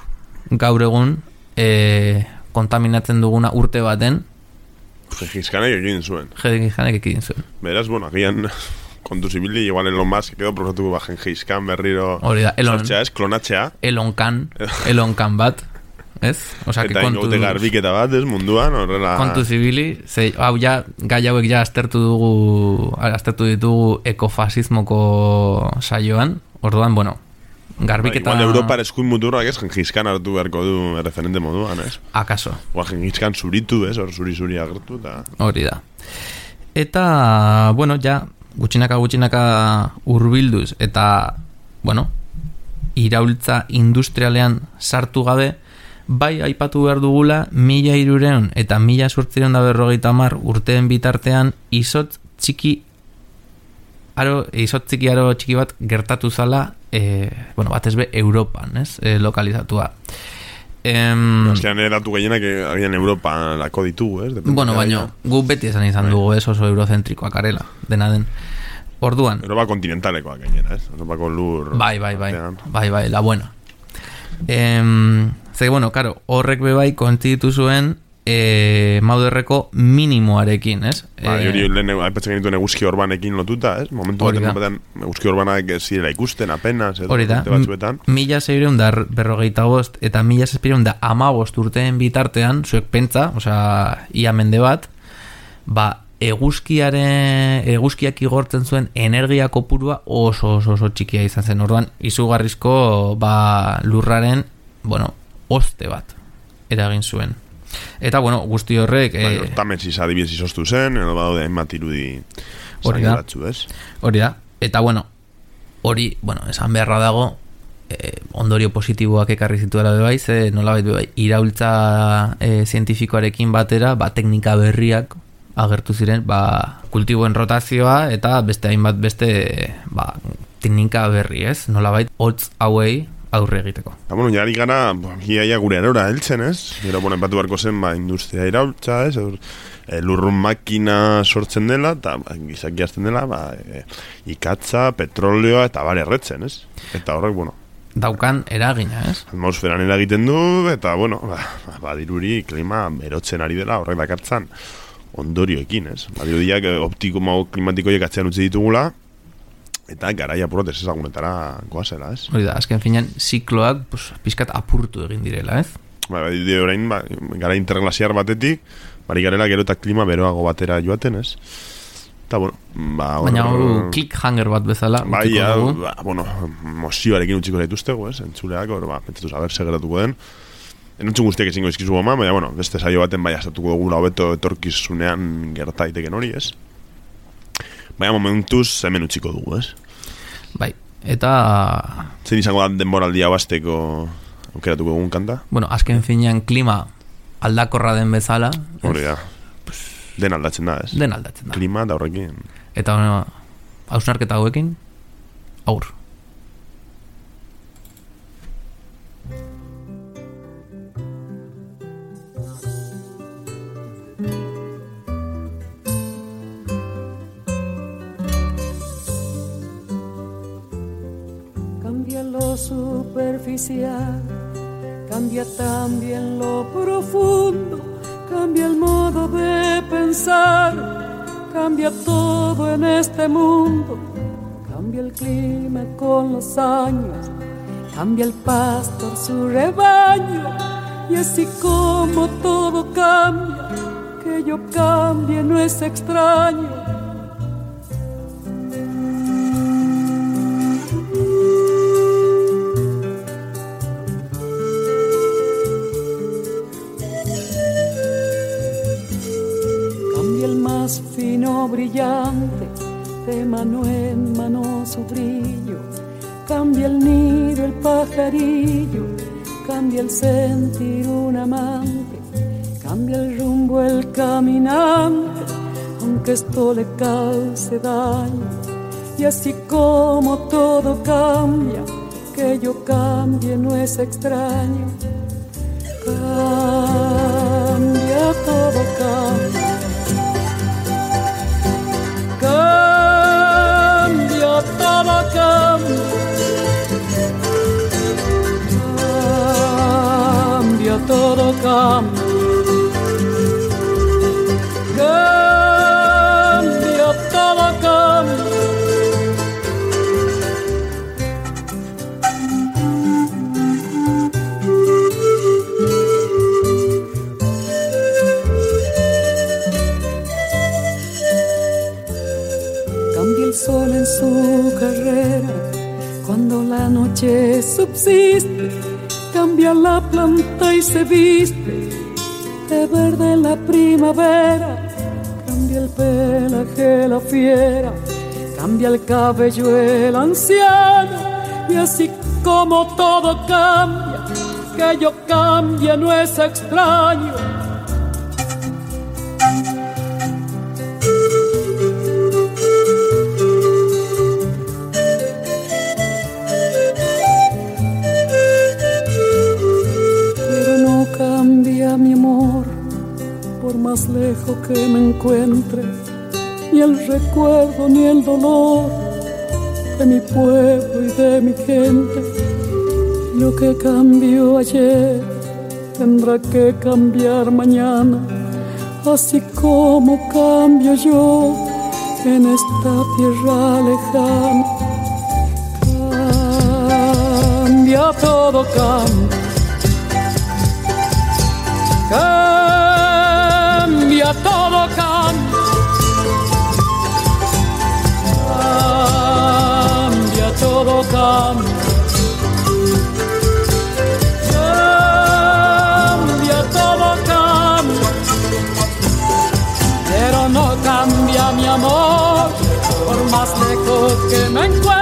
B: gaur egun e, kontaminatzen duguna urte baten
A: Gengis-Khanek ekidin zuen.
B: Gengis-Khanek ekidin zuen.
A: Beraz, bueno, agian kontu zibili, igual Elon Musk edo probatuko ba Gengis-Khan berriro sortzea, ez, klonatzea.
B: Elon Khan, Elon Khan bat, ez? Osea,
A: eta ingote garbiketa bat, ez, munduan, horrela...
B: Kontu zibili, ze, hau ja, gai hauek ja aztertu dugu, aztertu ditugu ekofasismoko saioan, orduan, bueno, garbiketa...
A: Ba, igual Europar eskuin muturrak, ez, Gengis-Khan hartu beharko du referente moduan, ez?
B: Akaso.
A: Oa Gengis-Khan zuritu, ez, hor zuri-zuri agertu, eta...
B: Hori da. Eta, bueno, ja... gutxinaka gutxinaka urbilduz eta, bueno, iraultza industrialean sartu gabe, bai aipatu behar dugula mila hirureun eta mila zortzireun da berrogeita hamar urteen bitartean izotz txiki aro, izotz txiki aro txiki bat gertatu zala, e, bueno, batez be Europan, ez, e, lokalizatua. Em,
A: Azkean eratu gehienak agian Europa lako ditugu, ez? Depende
B: bueno, baina gu beti esan izan bai. dugu, ez, oso eurozentrikoak arela, dena den. Orduan.
A: Europa kontinentalekoak gainera, ez? Europako lur...
B: Bai, bai, bai, bai, bai, la buena. Em, ze, bueno, karo, horrek bebai kontzitu zuen e, Mauderreko minimoarekin, ez?
A: Ba, hori e, lehen aipatzen genituen eguzki orbanekin lotuta, ez? Momentu batean eguzki orbanak ez zirela ikusten apenas,
B: hori da, mila zeireun da berrogeita bost eta mila zazpireun da amabost urteen bitartean, zuek pentsa, osea, ia mende bat, ba, eguzkiaren eguzkiak igortzen zuen energia kopurua oso oso oso txikia izan zen. Orduan izugarrizko ba, lurraren, bueno, oste bat eragin zuen. Eta, bueno, guzti horrek...
A: Bai, eh, Tametziz adibidez izoztu zen, edo badaude hainbat irudi
B: hori da,
A: batzu, ez?
B: Hori da. Eta, bueno, hori, bueno, esan beharra dago, eh, ondorio positiboak ekarri zituela bebai, ze nolabait bebai, iraultza eh, zientifikoarekin batera, ba, teknika berriak agertu ziren, ba, kultiboen rotazioa eta beste hainbat beste ba, teknika berri, ez? Nolabait, hotz hauei aurre egiteko.
A: Eta, bueno, jari gara, iaia gure erora heltzen, ez? Gero, bueno, empatu beharko zen, ba, industria iraultza, ez? E, lurrun makina sortzen dela, eta ba, gizaki azten dela, ba, e, ikatza, petroleoa, eta bare erretzen, ez? Eta horrek, bueno...
B: Daukan eragina, ez?
A: Atmosferan eragiten du, eta, bueno, ba, ba diruri klima erotzen ari dela, horrek dakartzan ondorioekin, ez? Badirudiak optiko klimatikoiek atzean utzi ditugula, eta garaia apurot ez ezagunetara goazela, ez?
B: Hori da, azken finean zikloak pues, pizkat apurtu egin direla, ez?
A: ba, de orain, ba, gara interglasiar batetik, bari garela gero eta klima beroago batera joaten, ez? Eta, bueno, ba... Or,
B: baina hor, clickhanger bat bezala.
A: Bai, ja, ba, bueno, mozioarekin utziko zaituztego, ez? Entzuleak, hor, ba, pentsatu saber segeratuko den. Enontzun guztiak ezingo izkizu goma, baina, bueno, beste saio baten bai astatuko dugula hobeto etorkizunean gertaiteken hori, ez? Baina momentuz hemen utziko dugu, ez?
B: Bai, eta...
A: Zein izango da denboraldia basteko aukeratuko dugun kanta?
B: Bueno, azken finean klima aldakorra den bezala.
A: Hori da.
B: Pues,
A: den aldatzen da, ez?
B: Den aldatzen da.
A: Klima da horrekin.
B: Eta bueno, hausnarketa hauekin, aur.
C: Cambia lo superficial, cambia también lo profundo, cambia el modo de pensar, cambia todo en este mundo, cambia el clima con los años, cambia el pastor su rebaño, y así como todo cambia, que yo cambie no es extraño. Fino brillante, de mano en mano su brillo, cambia el nido el pajarillo, cambia el sentir un amante, cambia el rumbo el caminante, aunque esto le cause daño, y así como todo cambia, que yo cambie no es extraño. Cambia, todo cambia. Cambia, todo cambia. Cambia, todo cambia. Cambia, todo cambia. El sol en su carrera, cuando la noche subsiste, cambia la planta y se viste de verde la primavera, cambia el pelaje la fiera, cambia el cabello el anciano, y así como todo cambia, que yo cambie no es extraño. Mi amor, por más lejos que me encuentre, ni el recuerdo ni el dolor de mi pueblo y de mi gente. Lo que cambió ayer tendrá que cambiar mañana, así como cambio yo en esta tierra lejana. Cambia, todo cambia. Cambia, todo cambia. Cambia, todo cambia. Cambia, todo cambia. Pero no cambia mi amor, por más lejos que me encuentre.